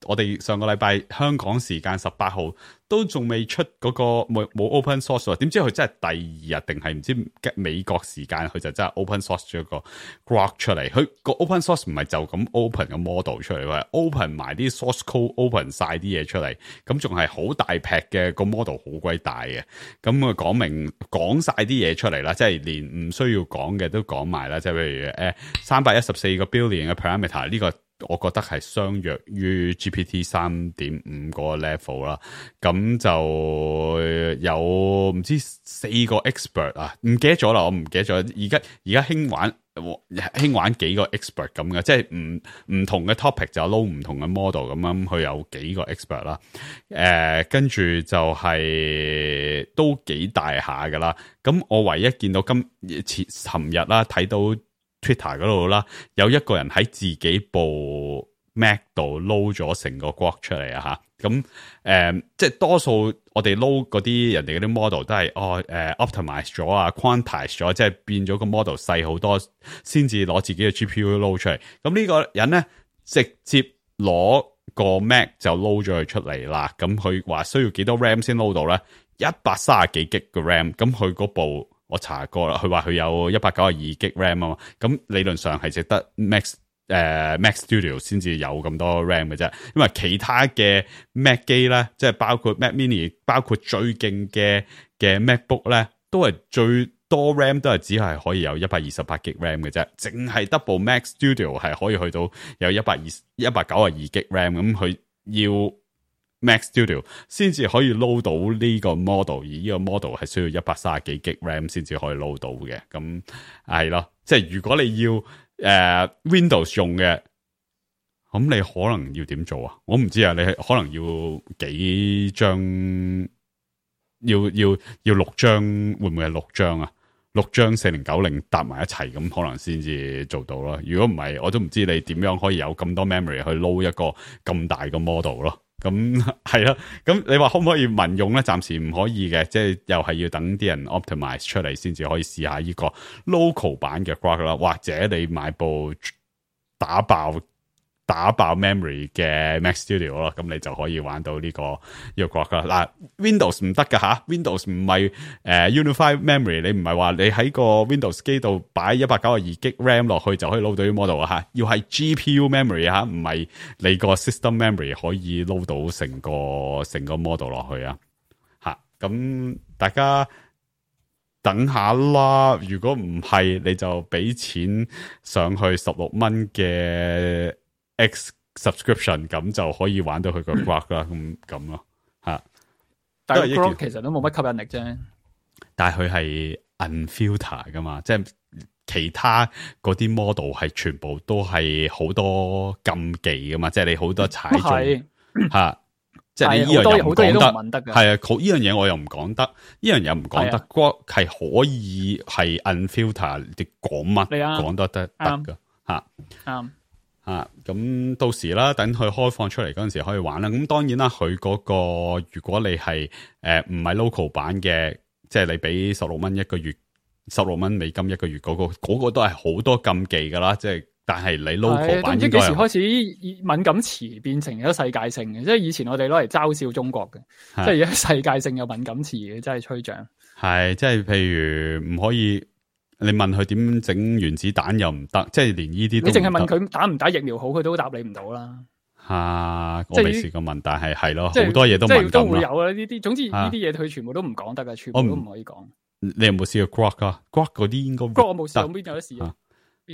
我哋上個禮拜香港時間18號都仲未出嗰個冇 open source， 點知佢真係第二日定係唔知美國時間佢就真係 open source 咗個 Grok 出嚟。佢個 open source 唔係就咁 open 個 model 出嚟，係 open 埋啲 source code，open 晒啲嘢出嚟，咁仲係好大劈嘅個 model，好鬼大嘅。咁啊講晒啲嘢出嚟啦，即係連唔需要講嘅都講埋啦，即係譬如314個 billion 嘅 parameter 呢個。我覺得係相若於 GPT 3.5個 level 啦，咁就有唔知4個 expert 啊，唔記得咗啦，我唔記得咗。而家興玩幾個 expert 咁嘅，即係唔同嘅 topic 就撈唔同嘅 model 咁樣，佢有幾個 expert 啦。跟住就係都幾大下噶啦。咁我唯一見到尋日啦，睇到。Twitter 嗰度啦，有一個人喺自己部 Mac 度撈咗成個 Grok 出嚟啊吓，咁即係多數我哋撈嗰啲人哋嗰啲 model 都係optimize 咗啊 quantize 咗，即係變咗個 model 細好多，先至攞自己嘅 GPU 撈出嚟。咁呢個人咧直接攞個 Mac 就撈咗佢出嚟啦。咁佢話需要幾多 RAM 先撈到咧？130幾 G 嘅 RAM， 咁佢嗰部。我查過啦，佢話佢有192 G RAM 啊嘛，咁理論上係值得 Mac Studio 先至有咁多 RAM 嘅啫，因為其他嘅 Mac 機咧，即係包括 Mac Mini， 包括最勁嘅 MacBook 咧，都係最多 RAM 都係只係可以有128 G RAM 嘅啫，淨係 Double Mac Studio 係可以去到有192 G RAM， 咁佢要Mac Studio 先至可以 load 到呢個 model， 而呢個 model 係需要130幾 G RAM 先至可以 load 到嘅，咁係咯，即係如果你要Windows 用嘅，咁你可能要點做啊？我唔知啊，你可能要幾張，要6張，會唔會係6張啊？6張4090搭埋一齊，咁可能先至做到咯。如果唔係，我都唔知你點樣可以有咁多 memory 去 load 一個咁大嘅 model 咯。咁係啦，咁你話可唔可以民用咧？暫時唔可以嘅，即係又係要等啲人 optimize 出嚟先至可以試下呢個 local 版嘅 Grok 啦，或者你買部打爆 memory 嘅 Mac Studio 咯，咁你就可以玩到呢個 Grok 啦。嗱 Windows 唔得噶吓 ，Windows 唔係Unified Memory， 你唔係話你喺個 Windows 機度擺192 G RAM 落去就可以 load 到啲 model 啊吓，要係 GPU memory 吓，唔係你個 system memory 可以 load 到成個 model 落去啊吓。咁大家等下啦，如果唔係你就俾錢上去16蚊嘅 X subscription， 咁就可以玩到佢個 Grok 啦，咁咯吓。但係 Grok 其實都冇乜吸引力啫。但係佢係 unfilter 噶嘛，即係其他嗰啲 model 係全部都係好多禁忌噶嘛，即係你好多踩中吓。即係你呢樣嘢好多嘢都唔問得嘅，係啊，呢樣嘢我又唔講得，呢樣嘢唔講得。Grok 係可以係 unfilter，你講乜講都得噶吓。啱啊，咁到時啦，等佢開放出嚟嗰陣時可以玩啦。咁當然啦，佢嗰個如果你係唔係 local 版嘅，即係你俾16蚊一個月，16蚊美金一個月嗰個都係好多禁忌噶啦，即係。但係你 local 版應該幾時開始敏感詞變成咗世界性嘅？即係以前我哋攞嚟嘲笑中國嘅，即係而家世界性有敏感詞嘅，真係吹脹。係即係譬如唔可以，你問佢點整原子彈又唔得，即係連呢啲都唔得。你淨係問佢打唔打疫苗好，佢都答你唔到啦。我未試過問，但係係咯，好多嘢都敏感都會有啊呢啲。總之呢啲嘢佢全部都唔講得噶，全部都唔可以講。你有冇試過 Grok 啊 ？Grok 嗰啲應該 Grok 我冇試過，邊有得試啊？你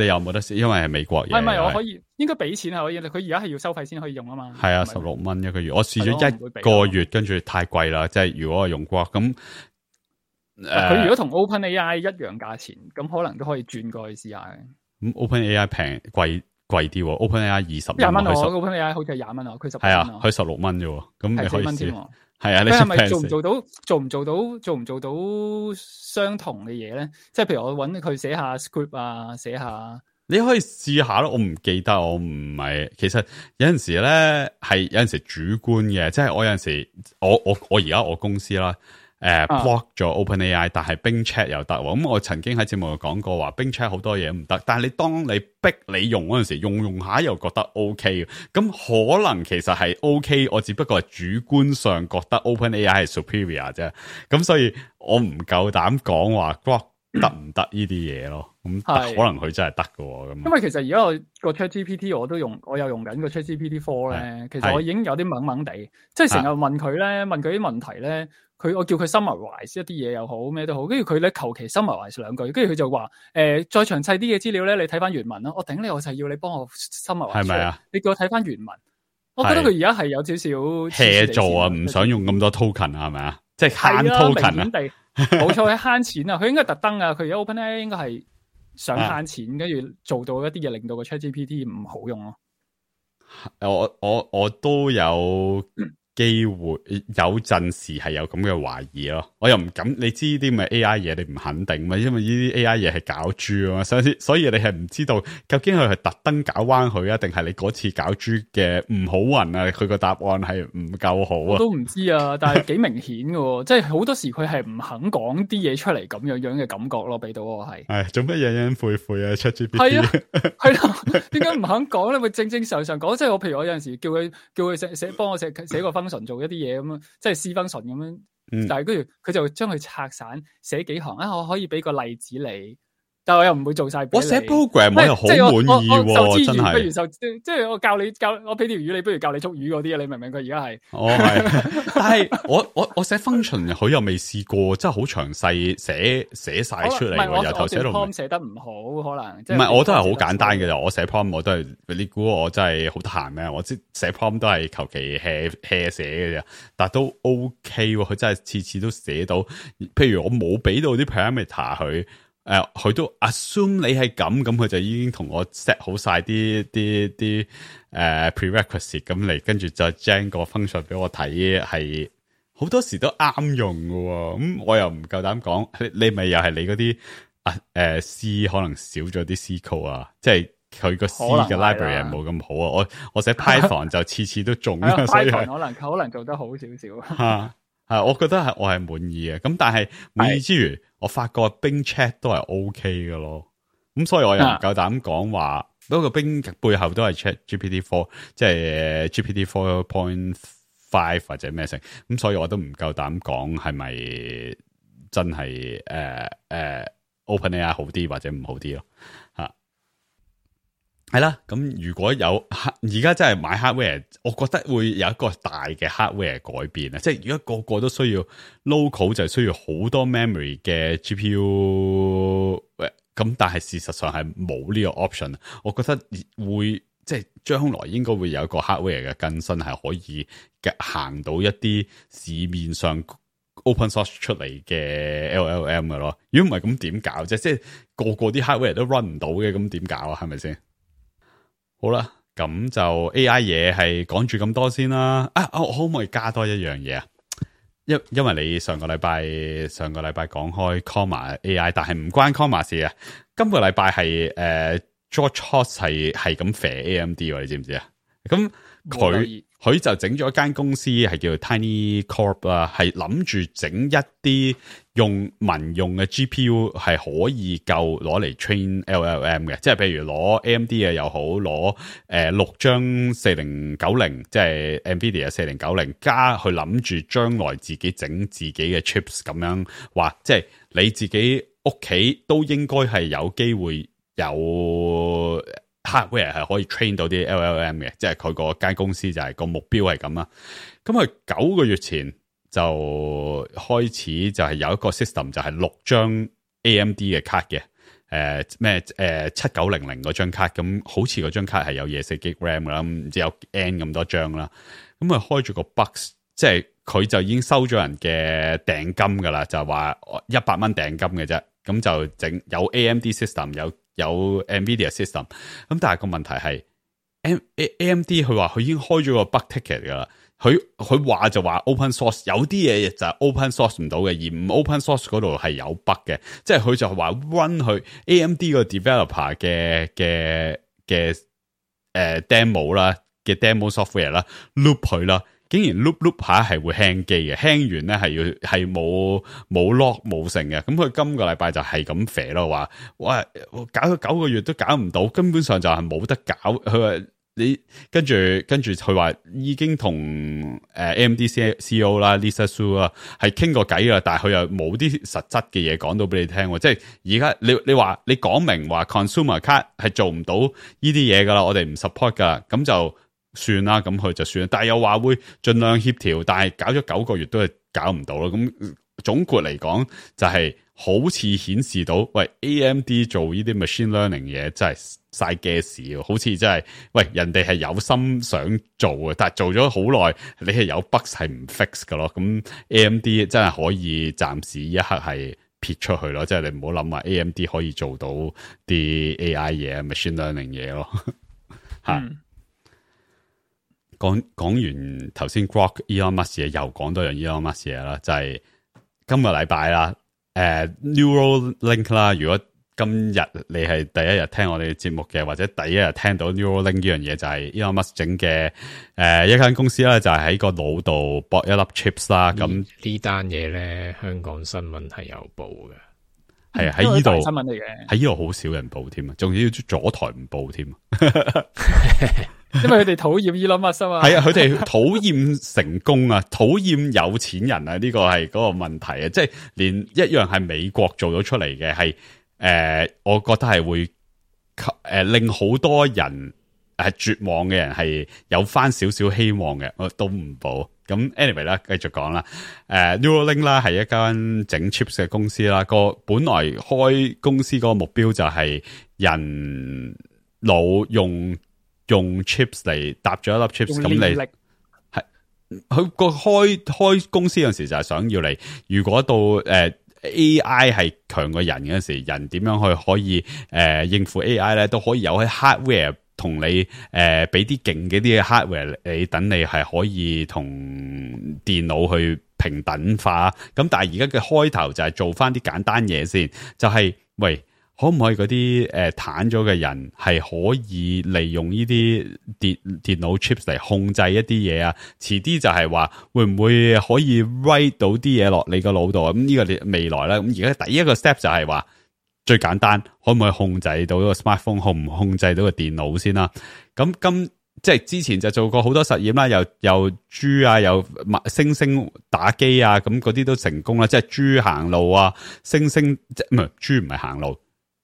又冇得試，因為係美國嘢。唔係，我可以應該俾錢係可以，佢而家係要收費先可以用啊嘛。係啊，16蚊一個月，我試咗1個月，跟住太貴啦。即係如果我用 Grok 咁，佢如果同 OpenAI 一樣價錢，咁可能都可以轉過去試下嘅。咁 OpenAI 貴啲，OpenAI 2020蚊，OpenAI 好似係20蚊啊，佢16蚊。係啊，佢16蚊啫，咁你可以試。係啊，你係咪做唔做到相同嘅嘢咧？即係譬如我搵佢寫下 script 啊，寫下，你可以試下咯。我唔記得，我唔係。其實有陣時咧係有陣時主觀嘅，即係我有陣時我而家我公司啦。block 咗 OpenAI， 但係 Bing Chat 又得喎。咁我曾經喺節目度講過話，Bing Chat 好多嘢唔得，但係你當你逼你用嗰陣時，用下又覺得 OK 嘅，咁可能其實係 OK，我只不過係主觀上覺得 OpenAI 係 superior 啫。咁所以我唔夠膽講話 block 得唔得呢啲嘢咯。咁可能佢真係得嘅。咁因為其實而家我個 ChatGPT 我又用緊個 ChatGPT 4咧，其實我已經有啲懵懵地，即係成日問佢咧，問佢啲問題咧。我叫佢 summarize 一啲嘢又好咩都好，跟住佢咧求其 summarize 兩句，跟住佢就話再詳細啲嘅資料咧，你睇翻原文啦。我頂你，我就係要你幫我 summarize，係咪啊？你叫我睇翻原文，我覺得佢而家係有少少 hea 做啊，唔想用咁多 token 啊，係咪啊？即係慳 token 啊，冇錯，係慳錢啊！佢應該特登啊，佢而家 OpenAI 應該係想慳錢，跟住做到一啲嘢，令到個 ChatGPT 唔好用咯。我都有。機會有陣時係有咁嘅懷疑咯，我又唔敢。你知啲咪 AI 嘢，你唔肯定嘛？因為呢啲 AI 嘢係搞豬啊嘛，所以你係唔知道究竟佢係特登搞彎佢啊，定係你嗰次搞豬嘅唔好運啊？佢個答案係唔夠好啊？我都唔知啊，但係幾明顯嘅，即係好多時佢係唔肯講啲嘢出嚟，咁樣嘅感覺咯，俾到我係。係做乜隱隱晦晦啊？ChatGPT 係啊，係咯，點解唔肯講咧？咪正正常常講，即係我譬如我有陣時叫佢幫我寫個分。做一啲嘢咁樣，即係 C function 咁樣，但係跟住佢就將佢拆散寫幾行啊，我可以俾個例子你，但係我又唔會做晒。我寫 program 我又好滿意喎，真係。不如即係我教我俾條魚你，不如教你捉魚嗰啲啊？你明唔明？佢而家係，係，但係我寫 function 佢又未試過，真係好詳細寫晒出嚟，由頭寫到尾。寫得唔好，可能唔係，我都係好簡單嘅咋。我寫 prompt 我都係，你估我真係好得閒咩？我即寫 prompt 都係求其 hea 寫嘅啫，但係都 OK 喎。佢真係次次都寫到，譬如我冇俾到啲 parameter 佢。佢都 assume 你係咁佢就已經同我 set 好晒啲prerequisite 咁嚟，跟住就 gen 個 function 俾我睇，係好多時都啱用㗎喎。咁我又唔夠膽講，你咪又係你嗰啲C 可能少咗啲 C code 啊，即係佢個 C 嘅 library 冇咁好啊。我寫 Python 就次次都中啊，所以 Python 可能做得好少少。我覺得我係滿意嘅，咁但係滿意之餘，我發覺 Bing Chat 都係 OK 嘅咯，咁所以我又唔夠膽講話，不過 Bing 背後都係 ChatGPT4，即係 GPT 4.5 或者咩成，咁所以我都唔夠膽講係咪真係OpenAI 好啲或者唔好啲咯，係啦，咁如果有而家真係買 hardware， 我覺得會有一個大嘅 hardware 改變啊！即係如果個個都需要 local， 就需要好多 memory 嘅 GPU， 咁但係事實上係冇呢個 option。我覺得會即係將來應該會有一個 hardware 嘅更新，係可以行到一啲市面上 open source 出嚟嘅 LLM 嘅咯。如果唔係咁點搞啫？即係個啲 hardware 都 run 唔到嘅，咁點搞啊？係咪先？好啦，咁就 AI 嘢係講住咁多先啦。我可唔可以加多一樣嘢啊？因為你上個禮拜講開 Comma AI， 但係唔關 Comma 事啊。今個禮拜係George Hotz 係咁肥 AMD 喎，你知唔知啊？咁佢就整咗一間公司係叫 Tiny Corp 啦，係諗住整一啲用民用嘅 GPU 係可以夠攞嚟 train LLM 嘅，即係譬如攞 AMD 嘅又好，攞6張4090，即係 NVIDIA 4090，加去諗住將來自己整自己嘅 chips 咁樣話，即係你自己屋企都應該係有機會有 hardware 係可以 train 到啲 LLM 嘅，即係佢個間公司就係個目標係咁啦。咁佢9個月前就開始就係有一個 system 就係6張 AMD 嘅卡嘅，7900嗰張卡，咁好似嗰張卡係有24GB RAM 啦，唔知有 N 咁多張啦。咁佢開住個 box， 即係佢就已經收咗人嘅訂金噶啦，就係話100蚊訂金嘅啫。咁就整有 AMD system， 有 NVIDIA system， 咁但係個問題係 AMD 佢話佢已經開咗個 bug ticket 噶啦，佢話就話 open source， 有啲嘢就係 open source 唔到嘅，而唔 open source 嗰度係有 bug 嘅，即係佢就話 run 去 AMD 個 developer 嘅demo 啦，嘅 demo software 啦 loop 佢啦。竟然 loop 下係會 hang 機嘅，hang 完咧係冇 lock 冇成嘅，咁佢今個禮拜就係咁肥咯，話哇搞咗9個月都搞唔到，根本上就係冇得搞。佢話你跟住佢話已經同AMD CEO 啦 Lisa Su 啦係傾過偈啦，但係佢又冇啲實質嘅嘢講到俾你聽，即係而家你話你講明話 consumer card 係做唔到呢啲嘢噶啦，我哋唔 support 噶，咁就算啦，咁佢就算啦，但係又話會盡量協調，但係搞咗9個月都係搞唔到咯。咁總括嚟講，就係好似顯示到，喂 AMD 做呢啲 machine learning 嘢真係嘥 gas， 好似真係，喂人哋係有心想做嘅，但係做咗好耐，你係有 bug 係唔 fix 噶咯。咁 AMD 真係可以暫時一刻係撇出去咯，即係你唔好諗話 AMD 可以做到啲 AI 嘢、machine learning 嘢咯，吓。講完頭先 Grok Elon Musk 嘢，又講多樣 Elon Musk 嘢啦，就係今個禮拜啦，Neuralink 啦。如果今日你係第一日聽我哋嘅節目嘅，或者第一日聽到 Neuralink 呢樣嘢，就係 Elon Musk 整嘅一間公司啦，就係喺個腦度駁一粒 chips 啦。咁呢單嘢咧，香港新聞係有報嘅，係喺呢度新聞嚟嘅，喺呢度好少人報添啊，仲要左台唔報添。因為佢哋討厭 Elon Musk 啊嘛，係啊，佢哋討厭成功啊，討厭有錢人啊，呢個係嗰個問題啊，即係連一樣係美國做咗出嚟嘅，係我覺得係會令好多人絕望嘅人係有翻少少希望嘅，我都唔報。咁 anyway 啦，繼續講啦。Neuralink 啦係一間整 chips 嘅公司啦，本來開公司嗰個目標就係人腦用 chips 嚟搭咗一粒 chips， 咁你係佢個開公司嗰陣時就係想要你，如果到AI 係強過人嗰陣時，人點樣去可以應付 AI 咧，都可以有喺 hardware 同你俾啲勁嘅啲 hardware 你，等你係可以同電腦去平等化。咁但係而家嘅開頭就係做翻啲簡單嘢先，就係喂。可唔可以嗰啲癱咗嘅人係可以利用呢啲電腦 chips 嚟控制一啲嘢啊？遲啲就係話會唔會可以 write 到啲嘢落你個腦度啊？咁呢個未來啦。咁而家第一個 step 就係話最簡單，可唔可以控制到個 smartphone， 控制到個電腦先啦？咁即係之前就做過好多實驗啦，又豬啊，又猩猩打機啊，咁嗰啲都成功啦。即係豬行路啊，猩猩即唔係豬唔係行路。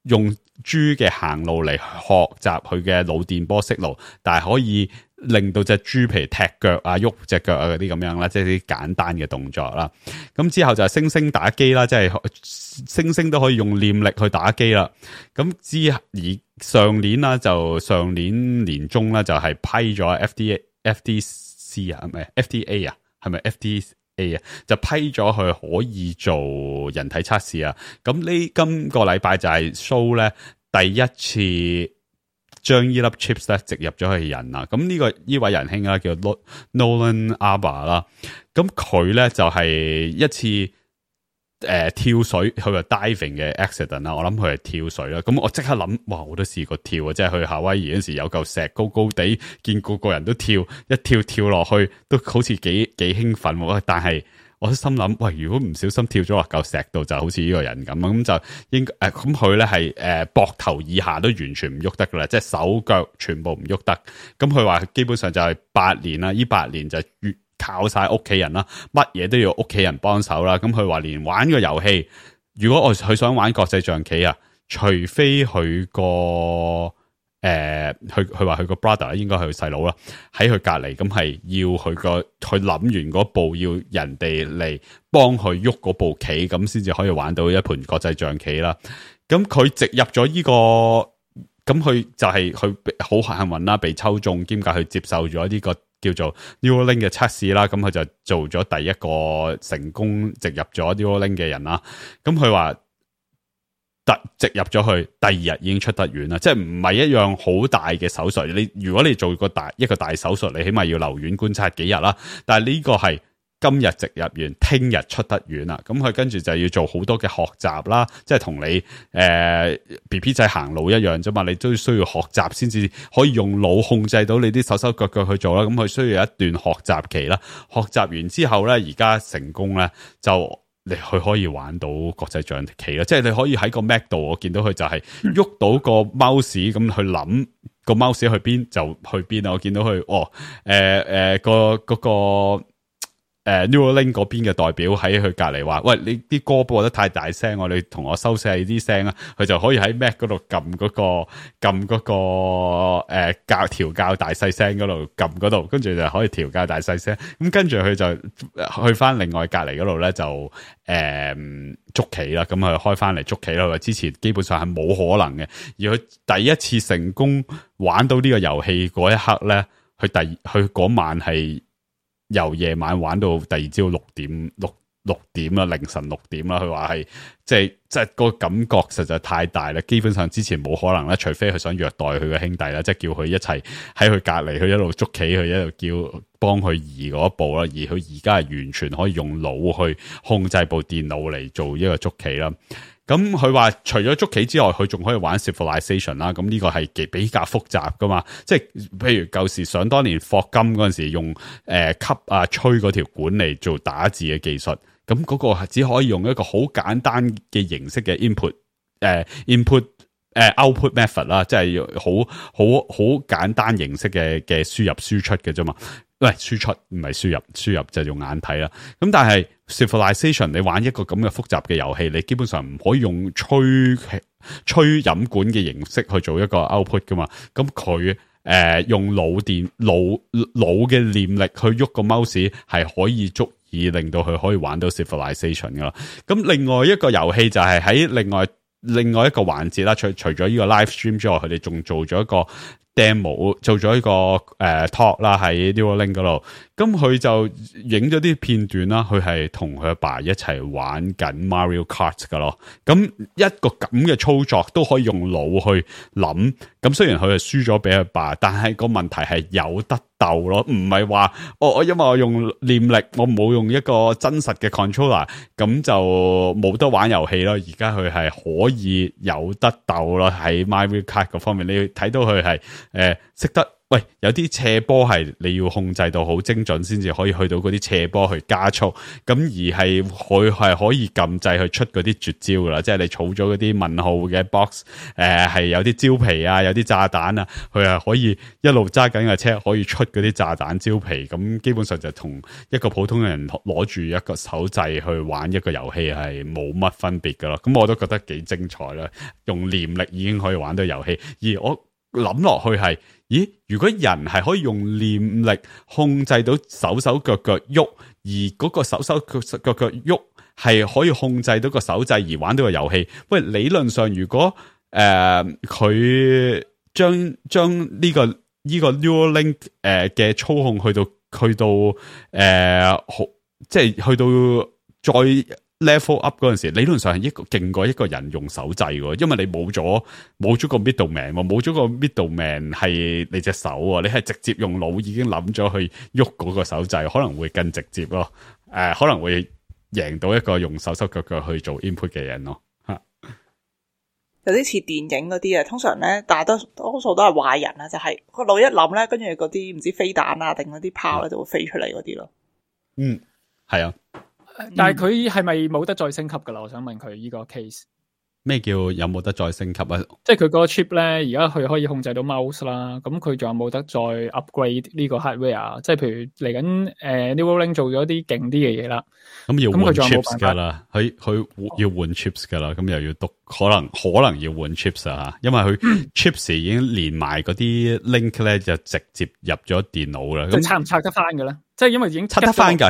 用豬嘅行路嚟學習佢嘅腦電波識路，但係可以令到隻豬譬如踢腳啊、喐隻腳啊嗰啲咁樣啦，即係啲簡單嘅動作啦。咁之後就係猩猩打機啦，即係猩猩都可以用念力去打機啦。咁上年啦，就上年年中啦，就係批咗 FDC 啊，唔係 FDA 啊，係咪 FDA 啊？就批咗佢可以做人體測試啊。咁今個禮拜就係 show 咧第一次將呢粒 chips 咧植入咗去人啦。咁呢位仁兄啦叫 Nolan Arba 啦。咁佢咧就係一次跳水，佢話 diving 嘅 accident 啦。我諗佢係跳水啦。咁我即刻諗，哇！我都試過跳啊，即係去夏威夷嗰時有嚿石高高地，見個個人都跳，一跳落去都好似幾興奮喎。但係我都心諗，喂，如果唔小心跳咗落嚿石度，就好似呢個人咁就應該咁佢咧係膊頭以下都完全唔喐得噶啦，即係手腳全部唔喐得。咁佢話基本上就係8年啦，呢8年就靠晒屋企人啦，乜嘢都要屋企人幫手啦。咁佢話連玩個遊戲，如果佢想玩國際象棋啊，除非佢個佢話佢個 brother 應該係佢細佬啦，喺佢隔籬，咁係要佢諗完嗰步，要人哋嚟幫佢喐嗰部棋，咁先至可以玩到一盤國際象棋啦。咁佢植入咗呢個，咁佢就係佢好幸運啦，被抽中，兼且佢接受咗呢個叫做 Neuralink 嘅測試啦。咁佢就做咗第一個成功植入咗 Neuralink 嘅人啦。咁佢話植入咗去，第2日已經出得院啦，即係唔係一樣好大嘅手術。如果你做一個大手術，你起碼要留院觀察幾日啦。但係呢個係今日植入完，聽日出得院啦。咁佢跟住就要做好多嘅學習啦，即係同你BB 仔行路一樣啫嘛。你都需要學習先至可以用腦控制到你啲手手腳腳去做啦。咁佢需要一段學習期啦。學習完之後咧，而家成功咧就。佢可以玩到國際象棋啦，即係你可以喺個 Mac 度，我見到佢就係喐到個 mouse 咁去諗個 mouse 去邊就去邊啊！我見到佢個Neuralink 嗰邊嘅代表喺佢隔離話：喂，你啲歌播得太大聲，你同我收細啲聲啊！佢就可以喺 Mac 嗰度撳嗰個調校大細聲嗰度撳嗰度，跟住就可以調校大細聲。咁跟住佢就去翻另外隔離嗰度咧，就捉棋啦。咁佢開翻嚟捉棋啦。佢話之前基本上係冇可能嘅，而佢第一次成功玩到呢個遊戲嗰一刻咧，佢嗰晚係。由夜晚玩到第二朝6點啦，凌晨6點啦。佢話係即係個感覺實在太大啦，基本上之前冇可能啦，除非佢想虐待佢嘅兄弟啦，即係叫佢一齊喺佢隔籬，佢一路捉棋，佢一路叫幫佢移嗰一步啦。而佢而家係完全可以用腦去控制部電腦嚟做一個捉棋啦。咁佢話除咗捉棋之外，佢仲可以玩 Civilization 啦。咁呢個係比較複雜噶嘛，即係譬如舊時想當年霍金嗰陣時用吸啊吹嗰條管嚟做打字嘅技術，咁嗰個係只可以用一個好簡單嘅形式嘅 output method 啦，即係好簡單形式嘅輸入輸出嘅啫嘛。喂，輸出唔係輸入，輸入就用眼睇啦。咁但係 Civilization 你玩一個咁嘅複雜嘅遊戲，你基本上唔可以用吹飲管嘅形式去做一個 output 噶嘛。咁佢用腦嘅念力去喐個 mouse 係可以足以令到佢可以玩到 Civilization 噶啦。咁另外一個遊戲就係喺另外一個環節啦，除咗呢個 live stream 之外，佢哋仲做咗一個 demo， 做咗一個talk 啦喺 Neuralink 嗰度。咁佢就影咗啲片段啦，佢係同佢阿爸一齊玩緊 Mario Kart 噶咯。咁一個咁嘅操作都可以用腦去諗。咁雖然佢係輸咗俾佢爸，但係個問題係有得鬥咯，唔係話我因為我用念力，我冇用一個真實嘅 controller， 咁就冇得玩遊戲咯。而家佢係可以有得鬥咯，喺 Mario Kart 嗰方面，你睇到佢係識得喂，有啲斜坡係你要控制到好精準先至可以去到嗰啲斜坡去加速，咁而係佢係可以撳掣去出嗰啲絕招噶啦，即係你儲咗嗰啲問號嘅 box，係有啲蕉皮啊，有啲炸彈啊，佢係可以一路揸緊架車可以出嗰啲炸彈蕉皮，咁基本上就同一個普通人攞住一個手掣去玩一個遊戲係冇乜分別噶咯，咁我都覺得幾精彩啦，用念力已經可以玩到遊戲，而我諗落去係，咦？如果人係可以用念力控制到手手腳腳喐，而嗰個手手腳腳喐係可以控制到個手掣而玩到個遊戲，喂，理論上如果佢將呢個 Neuralink 嘅操控去到即係去到再level up 嗰陣時，理論上係勁過一個人用手掣喎，因為你冇咗個 middleman， 冇咗個 middleman 係你隻手啊，你係直接用腦已經諗咗去喐嗰個手掣，可能會更直接咯，可能會贏到一個用手手腳腳去做 input 嘅人咯，有啲似電影嗰啲啊，通常咧，大多數都係壞人啊，就係個腦一諗咧，跟住嗰啲唔知飛彈啊定嗰啲炮咧就會飛出嚟嗰啲咯。嗯，係啊。但係佢係咪冇得再升級噶啦？我想問佢呢個 case。咩叫有冇得再升級啊？即係佢個 chip 咧，而家佢可以控制到 mouse 啦。咁佢仲有冇得再 upgrade 呢個 hardware？即係譬如嚟緊Neuralink 做咗啲勁啲嘅嘢啦。咁要換 chips 噶啦，佢要換 chips 噶啦。咁又要讀，可能要換 chips 啊，因為佢 chips 已經連埋嗰啲 link 咧，就直接入咗電腦啦。咁拆唔拆得翻嘅咧？即係因為已經拆得翻噶，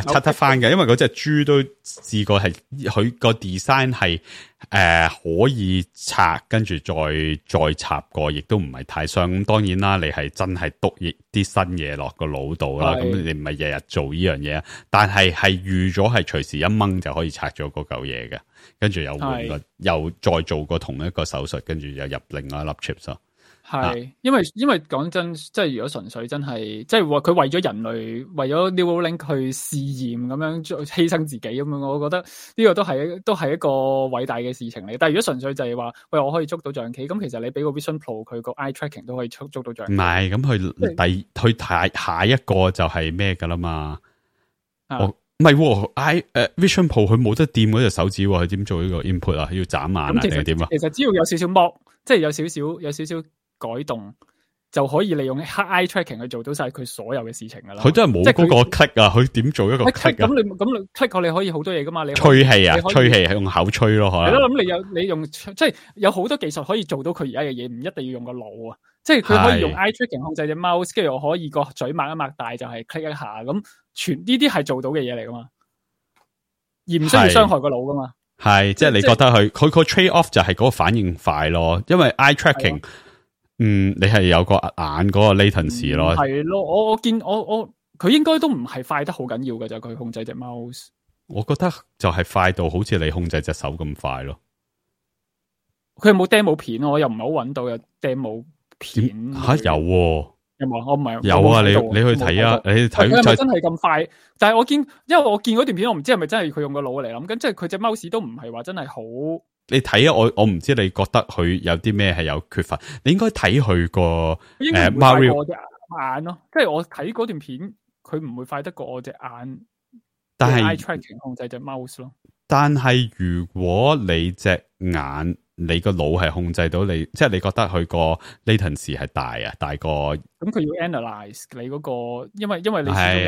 因為嗰隻豬都試過係佢個 design 係可以拆，跟住再插過，亦都唔係太傷。咁當然啦，你係真係篤啲新嘢落個腦度啦。咁你唔係日日做呢樣嘢，但係預咗係隨時一掹就可以拆咗嗰嚿嘢嘅，跟住又換個又再做過同一個手術，跟住又入另外一粒 chips 咯。係，因為講真，即係如果純粹真係，即係話佢為咗人類，為咗 Neuralink 去試驗咁樣犧牲自己咁樣，我覺得呢個都係一個偉大嘅事情嚟。但係如果純粹就係話，喂，我可以捉到象棋，咁其實你俾個 Vision Pro 佢個 eye tracking 都可以捉到象棋。唔係，咁佢下一個就係咩噶啦嘛？唔係Vision Pro 佢冇得掂嗰隻手指，佢點做呢個 input 啊？要眨眼啊定係點啊？其實只要有少少剝，即係有少少改動就可以利用 eye tracking 去做到晒佢所有嘅事情噶啦。佢真係冇嗰個 click 啊，佢點做一個 click 啊？咁你 click 過你可以好多嘢噶嘛？你吹氣啊，吹氣係用口吹咯，可能。係咯，咁你用即係有好多技術可以做到佢而家嘅嘢，唔一定要用個腦啊。即係佢可以用 eye tracking 控制隻 mouse， 跟住我可以個嘴擘一擘大就係 click 一下，咁全呢啲係做到嘅嘢嚟噶嘛，而唔需要傷害個腦噶嘛。係，即係你覺得佢個 trade off 就係嗰個反應快咯，因為 eye tracking。你係有個眼嗰個 latency 咯，係咯，我見佢應該都唔係快得好緊要嘅，就佢控制隻 mouse。我覺得就係快到好似你控制隻手咁快咯。佢有冇 demo 片？我又唔係好揾到有 demo 片。吓有喎？有冇？我唔係有啊！你去睇啊！你睇佢係咪真係咁快？但係因為我見嗰段片，我唔知係咪真係佢用個腦嚟諗，咁即係佢隻 mouse 都唔係話真係好。你睇啊！我唔知你覺得佢有啲咩係有缺乏，你應該睇佢個Mario 我隻眼咯，即係我睇嗰段片，佢唔會快得過我隻眼。但係 eye tracking 控制隻 mouse 咯。但係如果你隻眼，你個腦係控制到你，即係你覺得佢個 latency 係大過。咁佢要 analyze 你嗰個，因為你係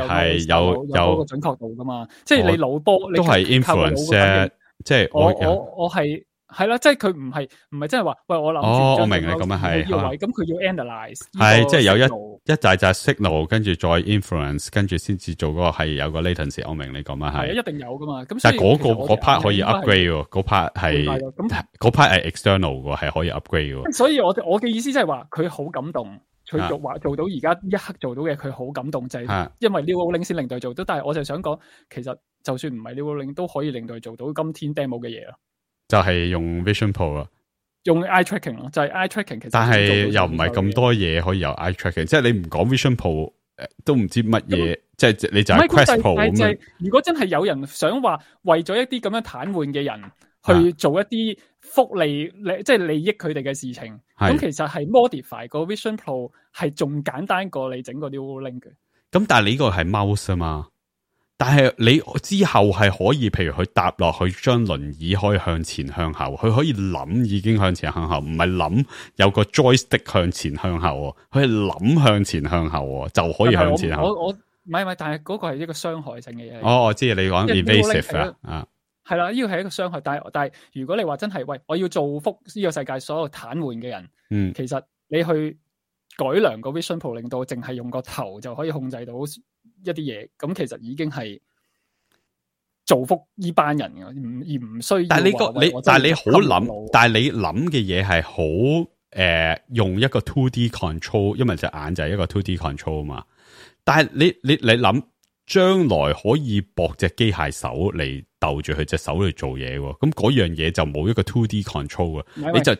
有嗰個準確度噶嘛，即係你腦波都係 influence。即係我係啦，即係佢唔係真係話，喂，我諗我明你咁樣係，咁佢要 analyze 係即係有一大紮 signal， 跟住再 influence， 跟住先至做嗰個係有個 latency。我明你咁樣係，一定有噶嘛。咁但係嗰 part 可以 upgrade 喎，嗰 part 係嗰 part 係 external 嘅，係可以 upgrade 喎。所以我嘅意思即係話，佢好感動，佢話做到而家一刻做到嘅，佢好感動，就係因為 Neuralink 先令到佢做到。但係我就想講，其實就算唔係 Neuralink 都可以令到佢做到今天 demo 嘅嘢咯。就係用 Vision Pro 啊，用 eye tracking 咯，就係 eye tracking。其實但係又唔係咁多嘢可以由 eye tracking，即係你唔講 Vision Pro，都唔知乜嘢，即係你就係 Quest Pro 咁樣。如果真係有人想話為咗一啲咁樣癱瘓嘅人去做一啲福利即係利益佢哋嘅事情。咁其實係 modify 個 Vision Pro 係仲簡單過你整個 Neuralink 嘅。咁但係你呢個係 mouse 啊嘛，但係你之後係可以，譬如佢搭落去，將輪椅可以向前向後，佢可以諗已經向前向後，唔係諗有個 joystick 向前向後，佢係諗向前向後就可以向前向後。我唔係，但係嗰個係一個傷害性嘅嘢。哦，我知你講 invasive 啊，係啦，呢個係一個傷害。但係如果你話真係喂，我要造福呢個世界所有癱瘓嘅人，其實你去改良個 Vision Pro，令到淨係用個頭就可以控制到一啲嘢，咁其實已經係造福呢班人嘅，而唔需要。但係你好諗，但係你諗嘅嘢係好用一個 2D control， 因為隻眼就係一個 2D control 嘛。但係你諗將來可以駁隻機械手嚟鬥住佢隻手嚟做嘢，咁嗰樣嘢就冇一個 2D control 啊。你就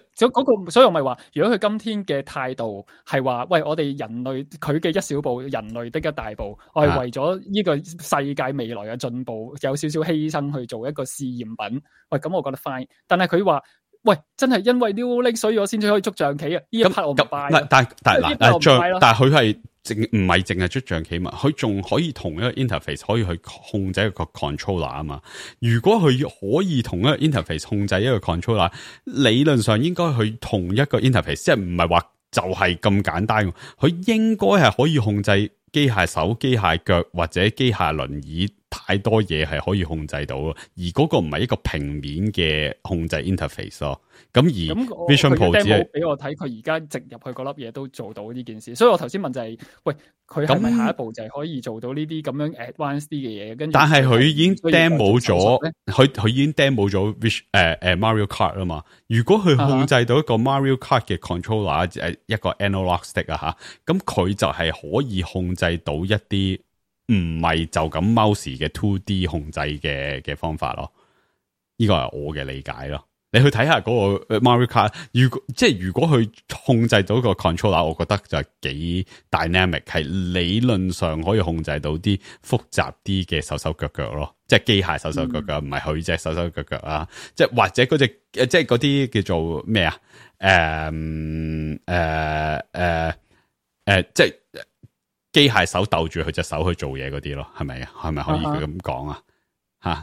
所以我咪話，如果佢今天嘅態度係話，喂，我哋人類佢嘅一小步，人類的一大步，我係為咗呢個世界未來嘅進步，有少少犧牲去做一個試驗品。喂，咁我覺得 fine。但係佢話，喂，真係因為 Neuralink 所以我先至可以捉象棋啊！呢一 part 我唔 buy。但係佢係。唔係淨係捉象棋嘛，佢仲可以同一個 interface 可以去控制一個 controller 啊嘛。如果佢可以同一個 interface 控制一個 controller， 理論上應該去同一個 interface， 即係唔係話就係咁簡單。佢應該係可以控制機械手、機械腳或者機械輪椅，太多嘢係可以控制到。而嗰個唔係一個平面嘅控制 interface 咯。咁而 Vision Pro 只係俾我睇，佢而家直入去嗰粒嘢都做到呢件事，所以我頭先問就係，喂，佢係咪下一步就係可以做到呢啲咁樣 advanced 啲嘅嘢？跟住，但係佢已經 demo 咗，佢已經 demo 咗 Mario Kart 啊嘛。如果佢控制到一個 Mario Kart 嘅 controller，一個 analog stick 啊吓，咁佢就係可以控制到一啲唔係就咁 mouse 嘅 2D 控制嘅方法咯。呢個係我嘅理解咯。你去睇下嗰個 Mario Kart， 如果佢控制到個 controller， 我覺得就係幾 dynamic， 係理論上可以控制到啲複雜啲嘅手手腳腳咯，即係機械手手腳腳，唔係佢隻手手腳腳啊，即係或者嗰隻即係嗰啲叫做咩啊？即係機械手鬥住佢隻手去做嘢嗰啲咯，係咪啊？係咪可以咁講啊？吓？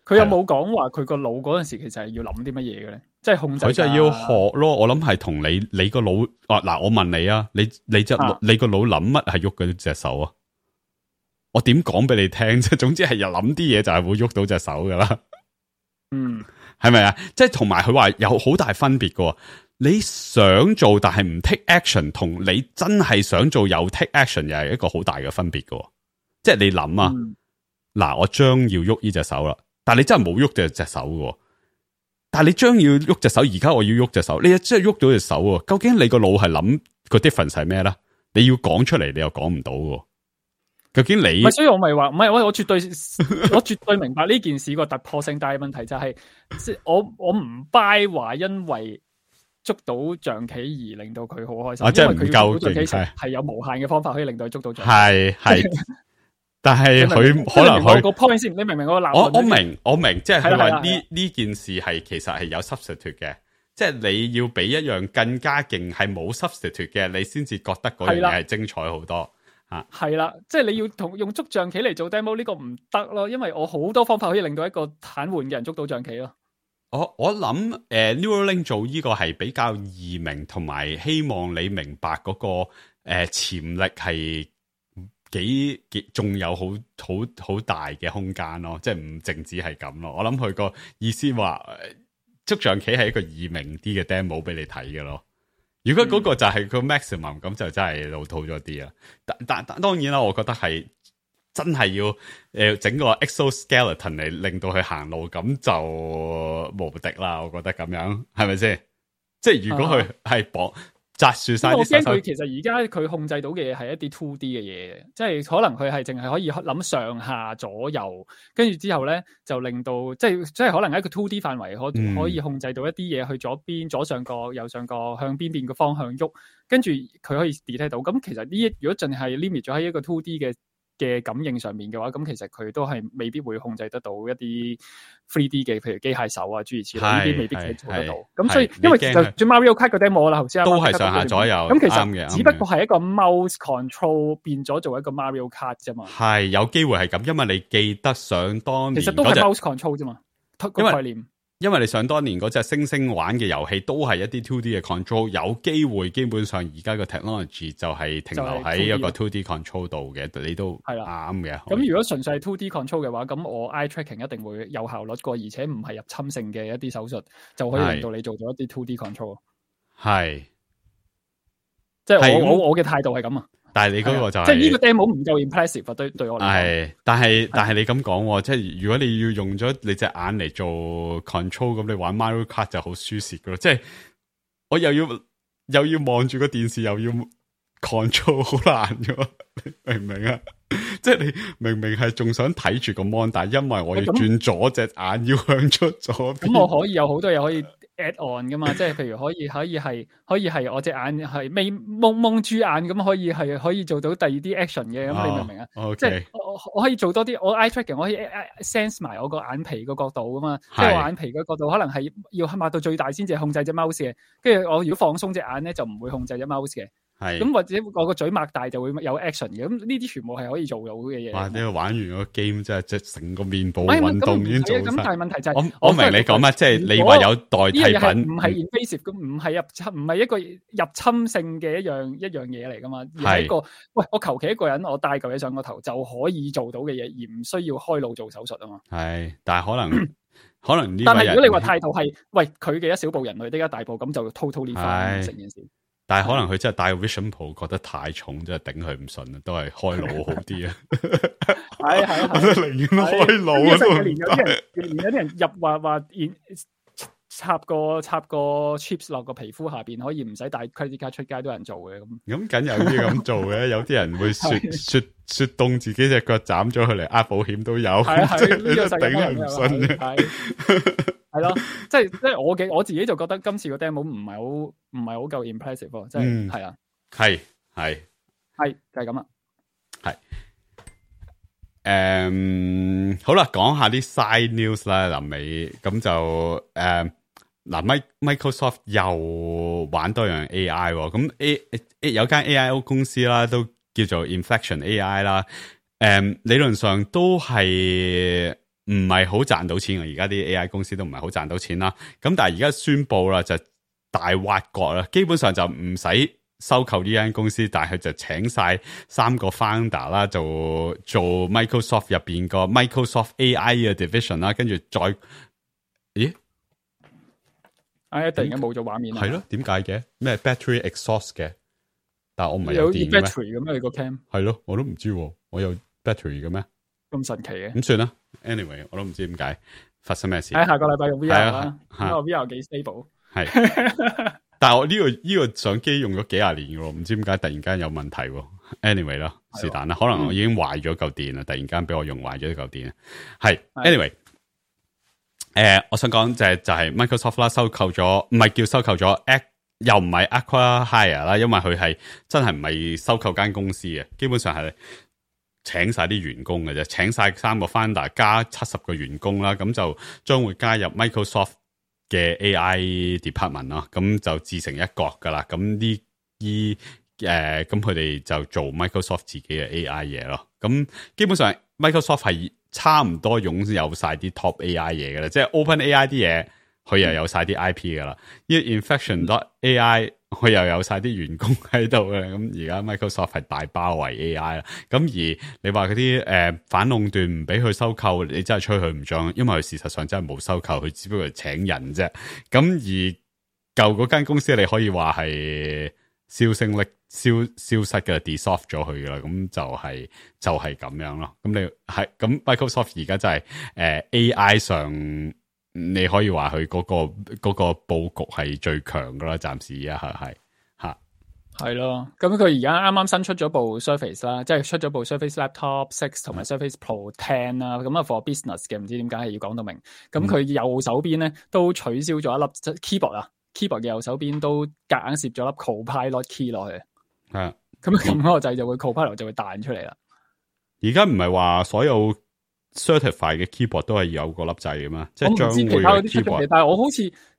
佢有冇講話佢個腦嗰陣時其實係要諗啲乜嘢嘅咧？即係控制。佢就係要學咯。我諗係同你個腦嗱，我問你啊，你個腦諗乜係喐嗰隻手啊？我點講俾你聽？即係總之係又諗啲嘢就係會喐到隻手噶啦。係咪啊？即係同埋佢話有好大分別噶。你想做但係唔 take action， 同你真係想做又 take action， 又係一個好大嘅分別噶。即係你諗啊，嗱，我將要喐呢隻手啦。但係你真係冇喐隻手嘅，但係你將要喐隻手，而家我要喐隻手，你真係喐到隻手喎。究竟你個腦係諗個 difference 係咩咧？你要講出嚟，你又講唔到嘅。究竟你？所以我咪話唔係，我絕對明白呢件事個突破性，但係問題就係、即係我唔 buy 話因為捉到象棋而令到佢好開心，即係唔夠象棋係有無限嘅方法可以令到佢捉到象棋。係。但係佢可能佢個 point 先，你明唔明我個我明，即係佢話呢件事係其實係有 substitute 嘅，即係你要俾一樣更加勁係冇 substitute 嘅，你先至覺得嗰樣嘢係精彩好多吓。係啦，即係你要用捉象棋嚟做 demo 呢個唔得咯，因為我好多方法可以令到一個癱瘓嘅人捉到象棋咯。我諗Neuralink 做呢個係比較易明，同埋希望你明白嗰個潛力係。幾仲有好大嘅空間咯，即係唔淨止係咁咯。我諗佢個意思話捉象棋係一個易明啲嘅 demo 俾你睇嘅咯。如果嗰個就係個 maximum，咁就真係老土咗啲啊。但當然啦，我覺得係真係要整個 exoskeleton 嚟令到佢行路，咁就無敵啦。我覺得咁樣係咪先？即係如果佢係綁。紮住晒，我驚佢其實而家佢控制到嘅嘢係一啲 2D 嘅嘢，即係可能佢係淨係可以諗上下左右，跟住之後咧就令到即係可能喺一個 2D 範圍可以控制到一啲嘢去左邊左上角右上角向邊邊個方向喐，跟住佢可以 detect 到。咁其實如果淨係 limit 咗喺一個 2D 嘅嘅感應上面嘅話，咁其實佢都係未必會控制得到一啲 3D 嘅，譬如機械手啊諸如此類呢啲未必佢做得到。咁所以因為就算 Mario Kart 個 demo 啦，頭先都係上下左右，咁其實只不過係一個 mouse control 變咗做一個 Mario Kart 啫嘛。係有機會係咁，因為你記得想當年其實都係 mouse control 啫嘛，個概念。因為你想當年嗰隻星星玩嘅遊戲都係一啲 2D 嘅 control， 有機會基本上而家個 technology 就係停留喺一個 2D control 度嘅，你都係啱嘅。咁如果純粹係 2D control 嘅話，咁我 eye tracking 一定會有效率過，而且唔係入侵性嘅一啲手術，就可以令到你做咗一啲 2D control。係，即係我嘅態度係咁啊。但係你嗰個就係、即係呢個 demo 唔夠 impressive 對我嚟講。係，但係你咁講，即係如果你要用咗你隻眼嚟做 control， 咁你玩 Mario Kart 就好舒適噶咯。即係我又要望住個電視，又要 control， 好難噶，明唔明啊？即係你明明係仲想睇住個 mon， 但係因為我要轉左隻眼，要向出左邊。咁我可以有好多嘢可以 add on 噶嘛？即係譬如可以係我隻眼係未蒙住眼咁，可以做到第二啲 action 嘅。咁你明唔明啊？即係我可以做多啲，我 eye tracking 我可以 sense 埋我個眼皮個角度噶嘛。即係我眼皮個角度可能係要擘到最大先至控制隻 mouse 嘅。跟住我如果放鬆隻眼咧，就唔會控制隻 mouse 嘅。係咁或者我個嘴擘大就會有 action 嘅，咁呢啲全部係可以做到嘅嘢。哇！你玩完個 game 真係即係成個面部運動已經做晒。咁但係問題就係我明你講乜，即係你話有代替品，唔係 invasive 咁，唔係一個入侵性嘅一樣嘢嚟噶嘛，而係一個喂我求其一個人我戴嚿嘢上個頭就可以做到嘅嘢，而唔需要開腦做手術啊嘛。係，但係可能呢？但係如果你話態度係喂佢嘅一小步人類的一大步，咁就 totally fine 成件事。但係可能佢真係戴 Vision Pro 覺得太重，真係頂佢唔順啊，都係開腦好啲啊。係，我都寧願開腦啊。連有啲人入話插個 chips 落個皮膚下邊，可以唔使帶 credit card 出街都有人做嘅咁。咁梗有啲咁做嘅，有啲人會雪凍自己隻腳斬咗佢嚟呃保險都有，即係你都頂佢唔順嘅。係咯，即係我自己就覺得今次個 demo 唔係好夠 impressive 咯，即係係啊，係就係咁啦，係好啦，講下啲 side news 啦，臨尾咁就Microsoft 又玩多樣 AI 咁有間 AIO 公司啦，都叫做 Inflection AI 啦，理論上都係唔係好賺到錢，而家啲 AI 公司都唔係好賺到錢啦。咁但係而家宣布啦，就大挖角啦，基本上就唔使收購呢間公司，但係佢就請晒3個 founder 啦，就做 Microsoft 入邊個 Microsoft AI 嘅 division 啦，跟住再咦？突然間冇咗畫面啦。係咯，點解嘅？咩 battery exhaust 嘅？但係我唔係有電嘅咩 ？battery 咁樣你個 cam？係咯，我都唔知，我有 battery 嘅咩？咁神奇嘅？咁算啦。Anyway， 我都唔知點解發生咩事。喺下個禮拜用 VR 啦，因為 VR 幾 stable。係，但係我呢個相機用咗幾廿年嘅喎，唔知點解突然間有問題喎。Anyway 啦，是但啦，可能我已經壞咗嚿電啦，突然間俾我用壞咗嚿電。係 ，Anyway，我想講就係 Microsoft 啦，收購咗，唔係叫收購咗，又唔係 acquire 啦，因為佢係真係唔係收購間公司嘅，基本上係請晒啲員工嘅啫，請晒3個 founder 加70個員工啦，咁就將會加入 Microsoft 嘅 AI department 啦，咁就自成一國噶啦。咁咁佢哋就做 Microsoft 自己嘅 AI 嘢咯。咁基本上 Microsoft 係差唔多擁有晒啲 top AI 嘢嘅啦，即係 OpenAI 啲嘢佢又有晒啲 IP 噶啦，呢個 Inflection.AI 佢又有晒啲員工喺度嘅，咁而家 Microsoft 係大包圍 AI 啦。咁而你話嗰啲反壟斷唔俾佢收購，你真係吹佢唔漲，因為佢事實上真係冇收購，佢只不過係請人啫。咁而舊嗰間公司你可以話係消失嘅 dissolve 咗佢噶啦，咁就係咁樣咯。咁你係咁 Microsoft 而家真係AI 上。你可以話佢嗰個佈局係最強噶啦，暫時係咯。咁佢而家啱啱新出咗部 Surface 啦，即係出咗部 Surface Laptop 6同埋 Surface Pro 10啦。咁啊 for business 嘅，唔知點解係要講到明。咁佢右手邊咧都取消咗一粒 keyboard 啊 ，keyboard 嘅右手邊都夾硬攝咗粒 Copilot key 落去。係咁個掣就會 Copilot 就會彈出嚟啦。而家唔係話所有 certified 嘅 keyboard 都係有個粒掣噶嘛，即係將會其他嗰啲出咗 keyboard 嘅，但係我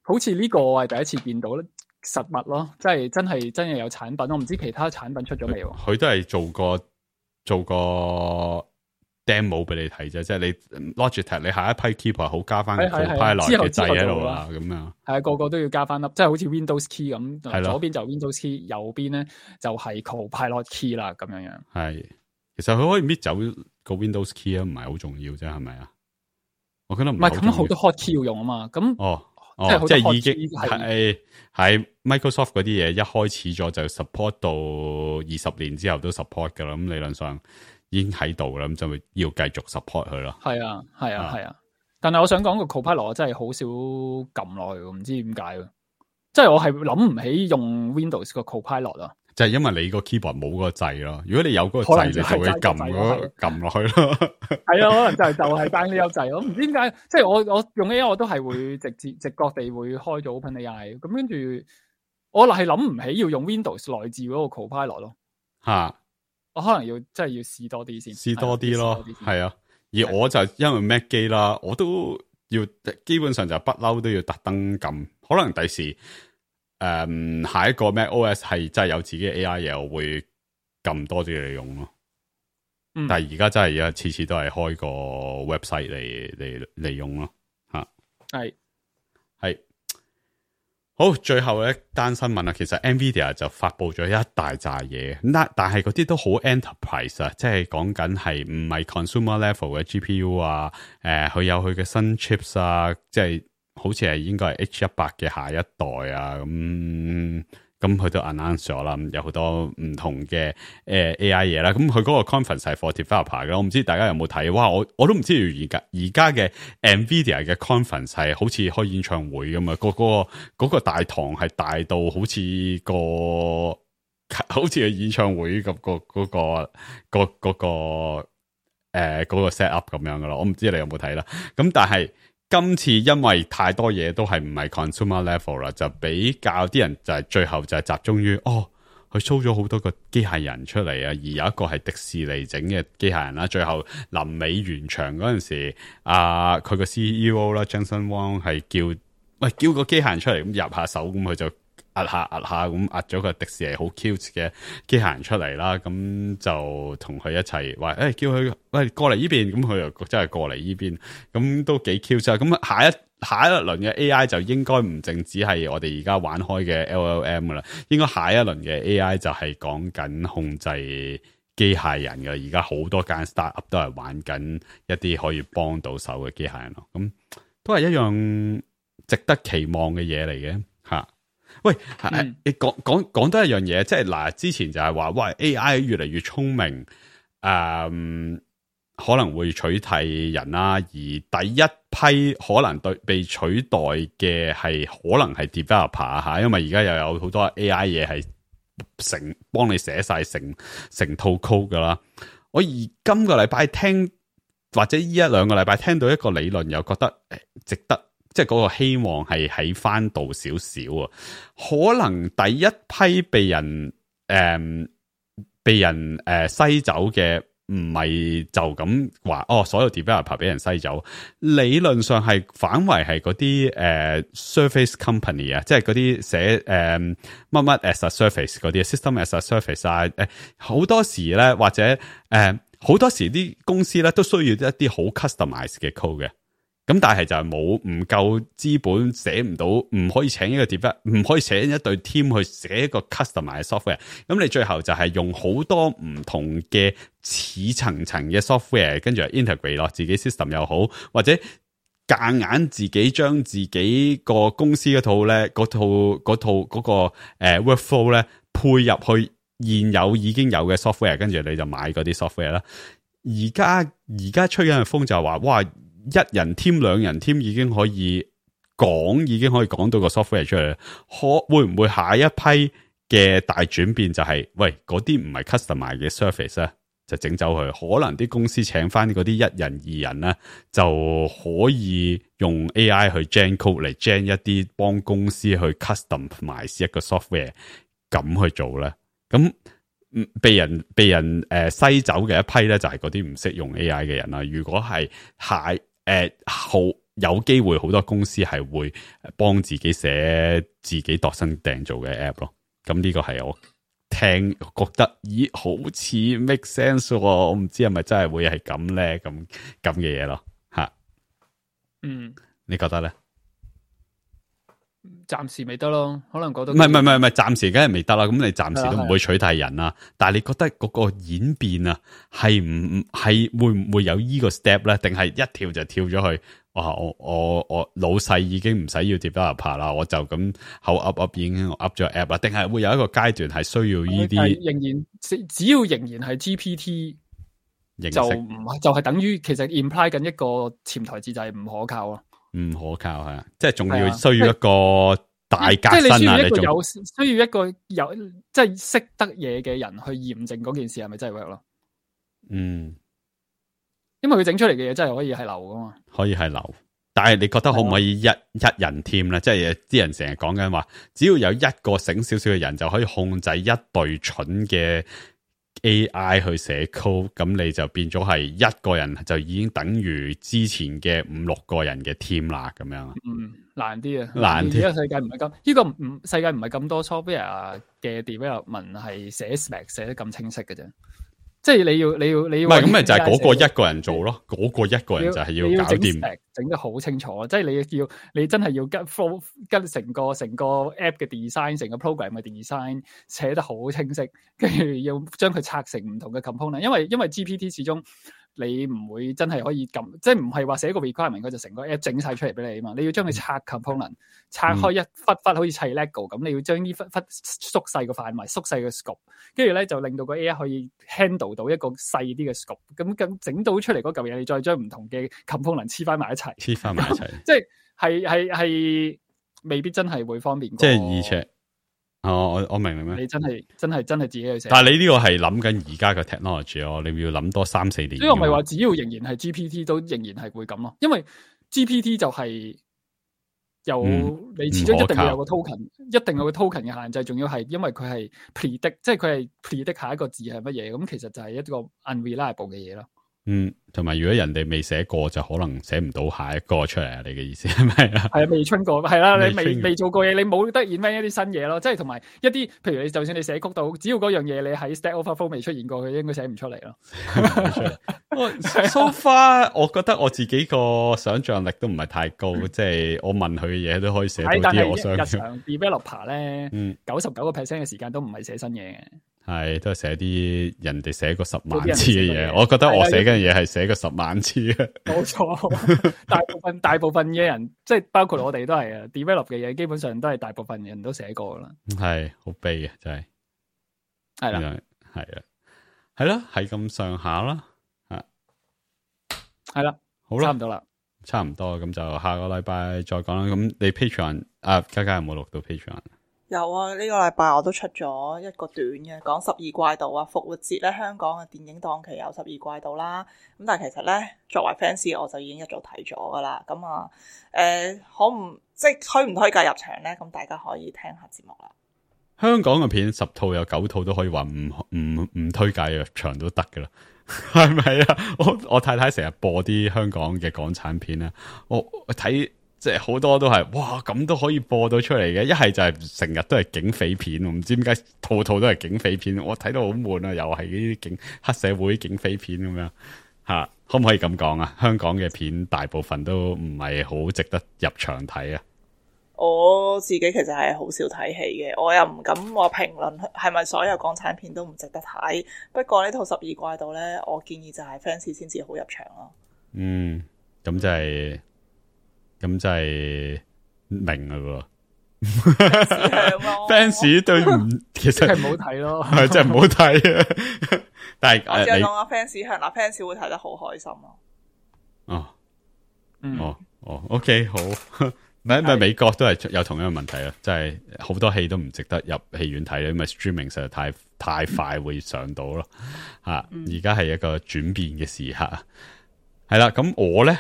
好似呢個我係第一次見到咧實物咯，即係真係有產品，我唔知其他產品出咗未喎。佢都係做個 demo 俾你睇啫，即係你 Logitech 你下一批 keyboard 好加翻 Copilot 嘅掣喺度啦，咁樣係啊，個都要加翻粒，即係好似 Windows key 咁，係左邊就 Windows key，右邊咧就係 Copilot key 啦，咁樣樣。係，其實佢可以搣走個 Windows key 啊，唔係好重要啫，係咪啊？我覺得唔係咁好多 hot key 要用啊嘛，咁即係已經係 Microsoft 嗰啲嘢一開始咗就 support 到20年之後都 support 噶啦，咁理論上已經喺度啦，咁就要繼續 support 佢咯。係啊，但係我想講個 Copilot 真係好少撳落去，唔知點解，即係我係諗唔起用 Windows 個 Copilot 啊。就係因為你個 keyboard 冇嗰個掣咯，如果你有嗰個掣，你就會撳落去咯。係啊，可能就係單呢個掣，我唔知點解，即係我用 AI 我都係會直覺地會開咗 OpenAI，咁跟住我係諗唔起要用 Windows 內置嗰個 Copilot 咯。吓，我可能要真係要試多啲先，試多啲咯，係啊。而我就因為 Mac 機啦，我都要基本上就不嬲都要特登撳，可能第時。下一個 Mac OS 係真係有自己嘅 AI 嘢，我會撳多啲嚟用咯。但係而家真係次次都係開個 website 嚟用咯。吓，係好，最後一單新聞啊，其實 Nvidia 就發佈咗一大扎嘢，但係嗰啲都好 enterprise 啊，即係講緊係唔係 consumer level 嘅 GPU 啊，佢有佢嘅新 chips 啊，即係。好似係應該係 H100 嘅下一代啊，咁佢都 announce 咗啦，有好多唔同嘅AI 嘢啦。咁佢嗰個 conference 係 for developer 嘅，我唔知大家有冇睇？哇，我都唔知而家嘅 Nvidia 嘅 conference 係好似開演唱會咁啊！嗰個大堂係大到好似個演唱會咁嗰個 set up 咁樣噶啦。我唔知你有冇睇啦。咁但係。今次因為太多嘢都係唔係 consumer level 啦，就比較啲人就係最後就係集中於佢 show 咗好多個機械人出嚟啊，而有一個係迪士尼整嘅機械人啦。最後臨尾完場嗰陣時，佢個 CEO 啦 Jensen Huang 係叫個機械人出嚟咁入下手，咁佢就壓下咁壓咗個迪士尼好 cute 嘅機械人出嚟啦。咁就同佢一齊話叫佢過嚟呢邊，咁佢又真係過嚟呢邊，咁都幾 cute 啊。咁下一輪嘅 AI 就應該唔淨止係我哋而家玩開嘅 LLM 噶啦，應該下一輪嘅 AI 就係講緊控制機械人噶。而家好多間 startup 都係玩緊一啲可以幫到手嘅機械人咯。咁都係一樣值得期望嘅嘢嚟嘅吓。喂，你講多一樣嘢，即係嗱，之前就係話，喂 AI 越嚟越聰明，可能會取替人啦。而第一批可能被取代嘅係可能係 developer 吓，因為而家又有好多 AI 嘢係幫你寫晒成套 code 噶啦。我而今個禮拜聽或者呢一兩個禮拜聽到一個理論，又覺得值得。即係嗰個希望係喺翻度少少啊，可能第一批被人篩走嘅唔係就咁話所有 developer 俾人篩走，理論上係反為係嗰啲service company 啊，即係嗰啲寫乜乜 as a service 嗰啲 system as a service 啊，好多時咧或者好多時啲公司咧都需要一啲好 customize 嘅 code 嘅。咁但係就係唔夠資本，寫唔到，唔可以請一個 developer，唔可以請一隊 team 去寫一個 customer 嘅 software。咁你最後就係用好多唔同嘅似層層嘅 software，跟住 integrate 落自己 system 又好，或者夾硬自己將自己個公司嗰套咧，嗰個workflow 咧配入去現有已經有嘅 software， 跟住你就買嗰啲 software 啦。而家吹緊嘅風就係話，哇！一人 team 兩人 team 已經可以講到個 software 出嚟，會唔會下一批嘅大轉變就係，喂，嗰啲唔係 customer 嘅 service 啊，就整走佢，可能啲公司請翻嗰啲一人二人咧，就可以用 AI 去 gen code 嚟 gen 一啲幫公司去 customize 一個 software 咁去做咧。咁被人篩走嘅一批咧，就係嗰啲唔識用 AI 嘅人啦。如果係好有機會，好多公司係會幫自己寫自己度身訂造嘅 app 咯。咁呢個係我聽覺得，咦，好似 make sense 喎。我唔知係咪真係會係咁咧，咁嘅嘢咯，吓。你覺得咧？暫時未得咯，可能覺得唔係，暫時梗係未得啦。咁你暫時都唔會取代人啦。但係你覺得嗰個演變啊，係會唔會有呢個 step 咧？定係一跳就跳咗去？我老細已經唔使要 developer 啦，我就咁口噏已經噏咗 app 啦。定係會有一個階段係需要呢啲？仍然只要仍然係 GPT，就唔就係等於其實 imply 緊一個潛台詞就係唔可靠咯。唔可靠係啊，即係仲要需要一個大革新啊！你需要一個有即係識得嘢嘅人去驗證嗰件事係咪真係 work 咯？因為佢整出嚟嘅嘢真係可以係流噶嘛，可以係流。但係你覺得可唔可以一人 team 咧？即係啲人成日講緊話，只要有一個醒少少嘅人就可以控制一隊蠢嘅 AI 去寫 code， 咁你就變咗係一個人就已經等於之前嘅5-6個人嘅 team 啦，咁樣。難啲啊，難啲。呢個世界唔係咁，呢個世界唔係咁多 software 嘅 development 係寫 spec 寫得咁清晰嘅啫。即係你要唔係咁咪就係嗰個一個人做咯，嗰個一個人就係要搞掂，整得好清楚。即係你真係要跟成個 app 嘅 design， 成個 program 嘅 design 寫得好清晰，跟住要將佢拆成唔同嘅 component。因為 GPT 始終你唔會真係可以撳，即係唔係話寫個 requirement 佢就成個 app 整晒出嚟俾你啊嘛。你要將佢拆 component， 拆開一忽好似砌 lego 咁，你要將呢忽縮細個範圍，縮細個 scope， 跟住咧就令到個 AI 可以 handle 到一個細啲嘅 scope， 咁整到出嚟嗰嚿嘢，你再將唔同嘅 component 黐翻埋一齊，即係未必真係會方便過。即係而且，我明咩？你真係自己去寫。但係你呢個係諗緊而家嘅 technology 咯，你要諗多3-4年。所以我咪話，只要仍然係 GPT 都仍然係會咁咯，因為 GPT 就係你始終一定要有個 token，一定有個 token 嘅限制，仲要係因為佢係 predict， 即係佢係 predict 下一個字係乜嘢，咁其實就係一個 unreliable 嘅嘢咯。同埋如果人哋未寫過，就可能寫唔到下一個出嚟啊！你嘅意思係咪啊？係啊，未春過，係啦，你未做過嘢，你冇得 invent 一啲新嘢咯。即係同埋一啲，譬如你就算你寫曲到，只要嗰樣嘢你喺 Stack Overflow 未出現過，佢應該寫唔出嚟咯。So far，我覺得我自己個想象力都唔係太高，即係我問佢嘅嘢都可以寫到啲我想。日常 developer 咧，99% 嘅時間都唔係寫新嘢嘅。係都係寫啲人哋寫過10萬次嘅嘢，我覺得我寫緊嘢係寫過10萬次嘅。冇錯，大部分嘅人，即係包括我哋都係啊 ，develop 嘅嘢基本上都係大部分人都寫過啦。係好悲嘅，真係。係啦，係啦，係咁上下啦，係啦，好啦，差唔多，咁就下個禮拜再講啦。咁你 Patreon 家有冇錄到 Patreon？有啊，呢個禮拜我都出咗一個短嘅，講12怪盜啊。復活節咧，香港嘅電影檔期有12怪盜啦。咁但係其實咧，作為 fans 我就已經一早睇咗噶啦。咁推唔推介入場咧？咁大家可以聽下節目啦。香港嘅片10套有9套都可以話唔推介入場都得噶啦，係咪啊？我太太成日播啲香港嘅港產片啊，我睇。即係好多都係哇，咁都可以播到出嚟嘅，一係就係成日都係警匪片，唔知點解套套都係警匪片，我睇到好悶啊！又係呢啲黑社會警匪片咁樣吓，可唔可以咁講啊？香港嘅片大部分都唔係好值得入場睇啊！我自己其實係好少睇戲嘅，我又唔敢話評論係咪所有港產片都唔值得睇。不過呢套12怪盜咧，我建議就係 fans 先至好入場咯。咁就係。咁就係明啦喎，fans 對唔，其實係唔好睇咯，係真係唔好睇啊！但係我只係講個 fans 向嗱 fans 會睇得好開心咯。OK 好，咪美國都係有同樣嘅問題啊，即係好多戲都唔值得入戲院睇，因為 streaming 實在太快會上到咯。而家係一個轉變嘅時刻啊，係啦，咁我咧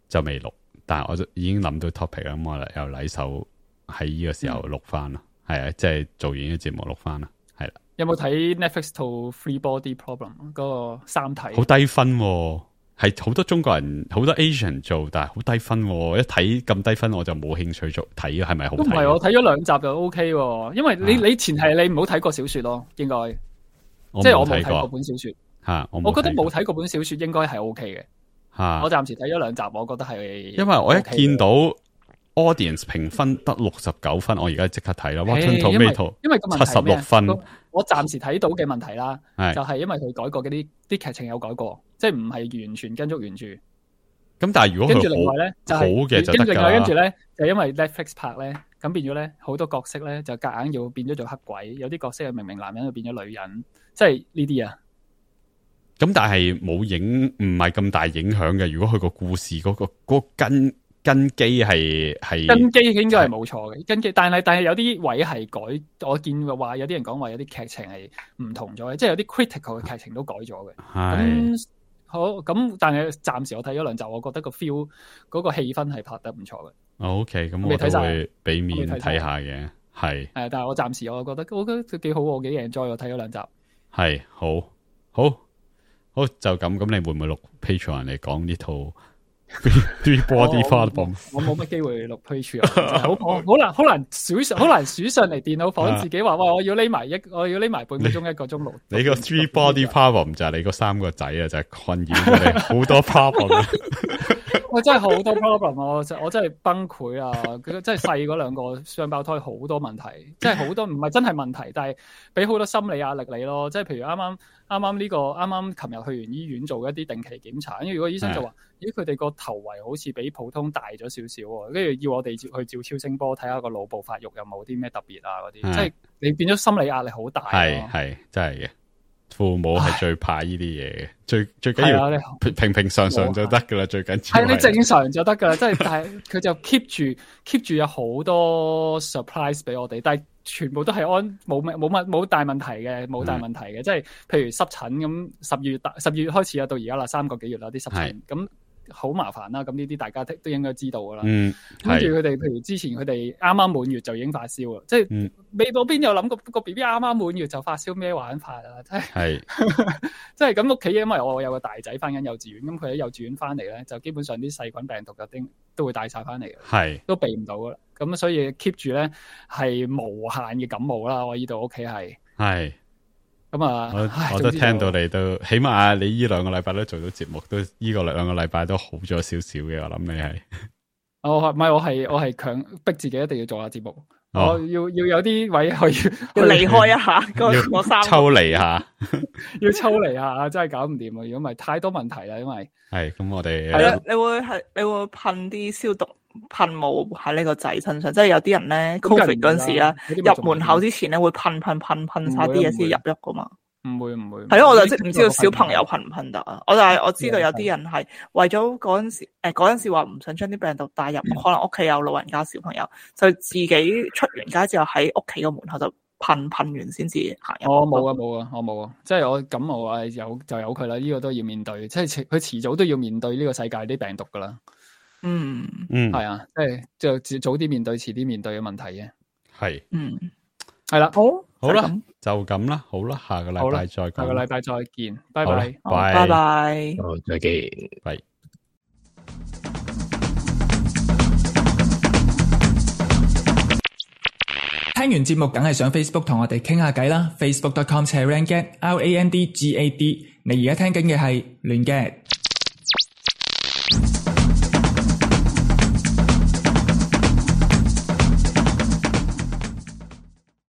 就未錄。但係我就已經諗到 topic 啦，咁我又禮手喺呢個時候錄翻啦，係啊，即係做完呢個節目錄翻啦，係啦。有冇睇 Netflix 套 Three Body Problem 嗰個三體？好低分喎，係好多中國人、好多 Asian 做，但係好低分喎。一睇咁低分，我就冇興趣做睇，係咪好睇？都唔係，我睇咗2集就 OK 喎。因為你前提你唔好睇過小說咯，應該即係我冇睇過本小說吓。我覺得冇睇過本小說應該係 OK 嘅吓。我暫時睇咗2集，我覺得係因為我一見到 audience 評分得69分，我而家即刻睇啦。Rotten Tomato 因為個問題係咩76分。我暫時睇到嘅問題啦，係就係因為佢改過嗰啲劇情有改過，即係唔係完全跟足原著。咁但係如果跟住另外咧就好嘅就得㗎啦。跟住咧就因為 Netflix 拍咧，咁變咗咧好多角色咧就夾硬要變咗做黑鬼，有啲角色係明明男人就變咗女人，即係呢啲啊。咁但係冇影，唔係咁大影響嘅。如果佢個故事嗰個根基係根基應該係冇錯嘅根基，但係有啲位係改，我見話有啲人講話有啲劇情係唔同咗嘅，即係有啲 critical 嘅劇情都改咗嘅。咁好咁，但係暫時我睇咗2集，我覺得個 feel 嗰個氣氛係拍得唔錯嘅。OK，咁我都會俾面睇下嘅，係。但係我暫時我覺得幾好，我幾 enjoy，我睇咗2集。係好就咁，你會唔會錄 Patreon 嚟講呢套 Three Body Problem？我冇乜機會錄 Patreon，好難數上嚟電腦房自己話，喂，我要匿埋半個鐘1個鐘錄。你個 Three Body Problem 就係你個3個仔啊，就係困擾咗你好多 problem。我真係好多 problem，我真係崩潰啊！佢真係細嗰2個雙胞胎好多問題，即係好多唔係真係問題，但係俾好多心理壓力你咯。即係譬如啱啱琴日去完醫院做一啲定期檢查，因為如果醫生就話，咦，佢哋個頭圍好似比普通大咗少少喎，跟住要我哋去照超聲波睇下個腦部發育有冇啲咩特別啊嗰啲，即係你變咗心理壓力好大。係真係嘅。父母係最怕呢啲嘢嘅，最緊要平常就得噶啦，最緊要係你正常就得噶啦，即係但係佢就 keep 住有好多 surprise 俾我哋，但係全部都係冇大問題嘅，冇大問題嘅，即係譬如濕疹咁，10月開始啊，到而家啦3個幾月啦，啲濕疹咁。好麻煩啦，咁呢啲大家都應該知道噶啦。跟住佢哋，譬如之前佢哋啱啱滿月就已經發燒啦，即係未到邊有諗過個 B B 啱啱滿月就發燒咩玩法啊？真係，即係咁屋企，因為我有個大仔翻緊幼稚園，咁佢喺幼稚園翻嚟咧，就基本上啲細菌病毒都會帶晒翻嚟嘅，都避唔到噶啦。咁所以 keep 住咧係無限嘅感冒啦。我呢度屋企係。咁啊，我都聽到你都，起碼你呢2個禮拜都做到節目，都呢個2個禮拜都好咗少少嘅。我諗你係，我係強逼自己一定要做下節目，我要有啲位去離開一下嗰3個抽離下，要抽離下，真係搞唔掂啊！如果唔係太多問題啦，因為係咁我哋係啦，你會噴啲消毒噴霧喺呢個仔身上，即係有啲人咧 COVID 嗰陣時啦，入門口之前咧會噴晒啲嘢先入喐噶嘛。唔會。係咯，我就唔知道小朋友噴唔噴得啊。我知道有啲人係為咗嗰陣時話唔想將啲病毒帶入，可能屋企有老人家小朋友，就自己出完街之後喺屋企個門口就噴完先至行入。我冇啊，即係我感冒啊，有佢啦，呢個都要面對，即係佢遲早都要面對呢個世界啲病毒噶啦。係啊，即係早啲面對，遲啲面對嘅問題嘅。係，係啦，好啦，就咁啦，好啦，下個禮拜再講，下個禮拜再見，拜拜，拜拜，好，再見，拜。聽完節目梗係上 Facebook 同我哋傾下偈啦 ，Facebook.com/Rangad，RANDGAD，你而家聽緊嘅係亂 gad。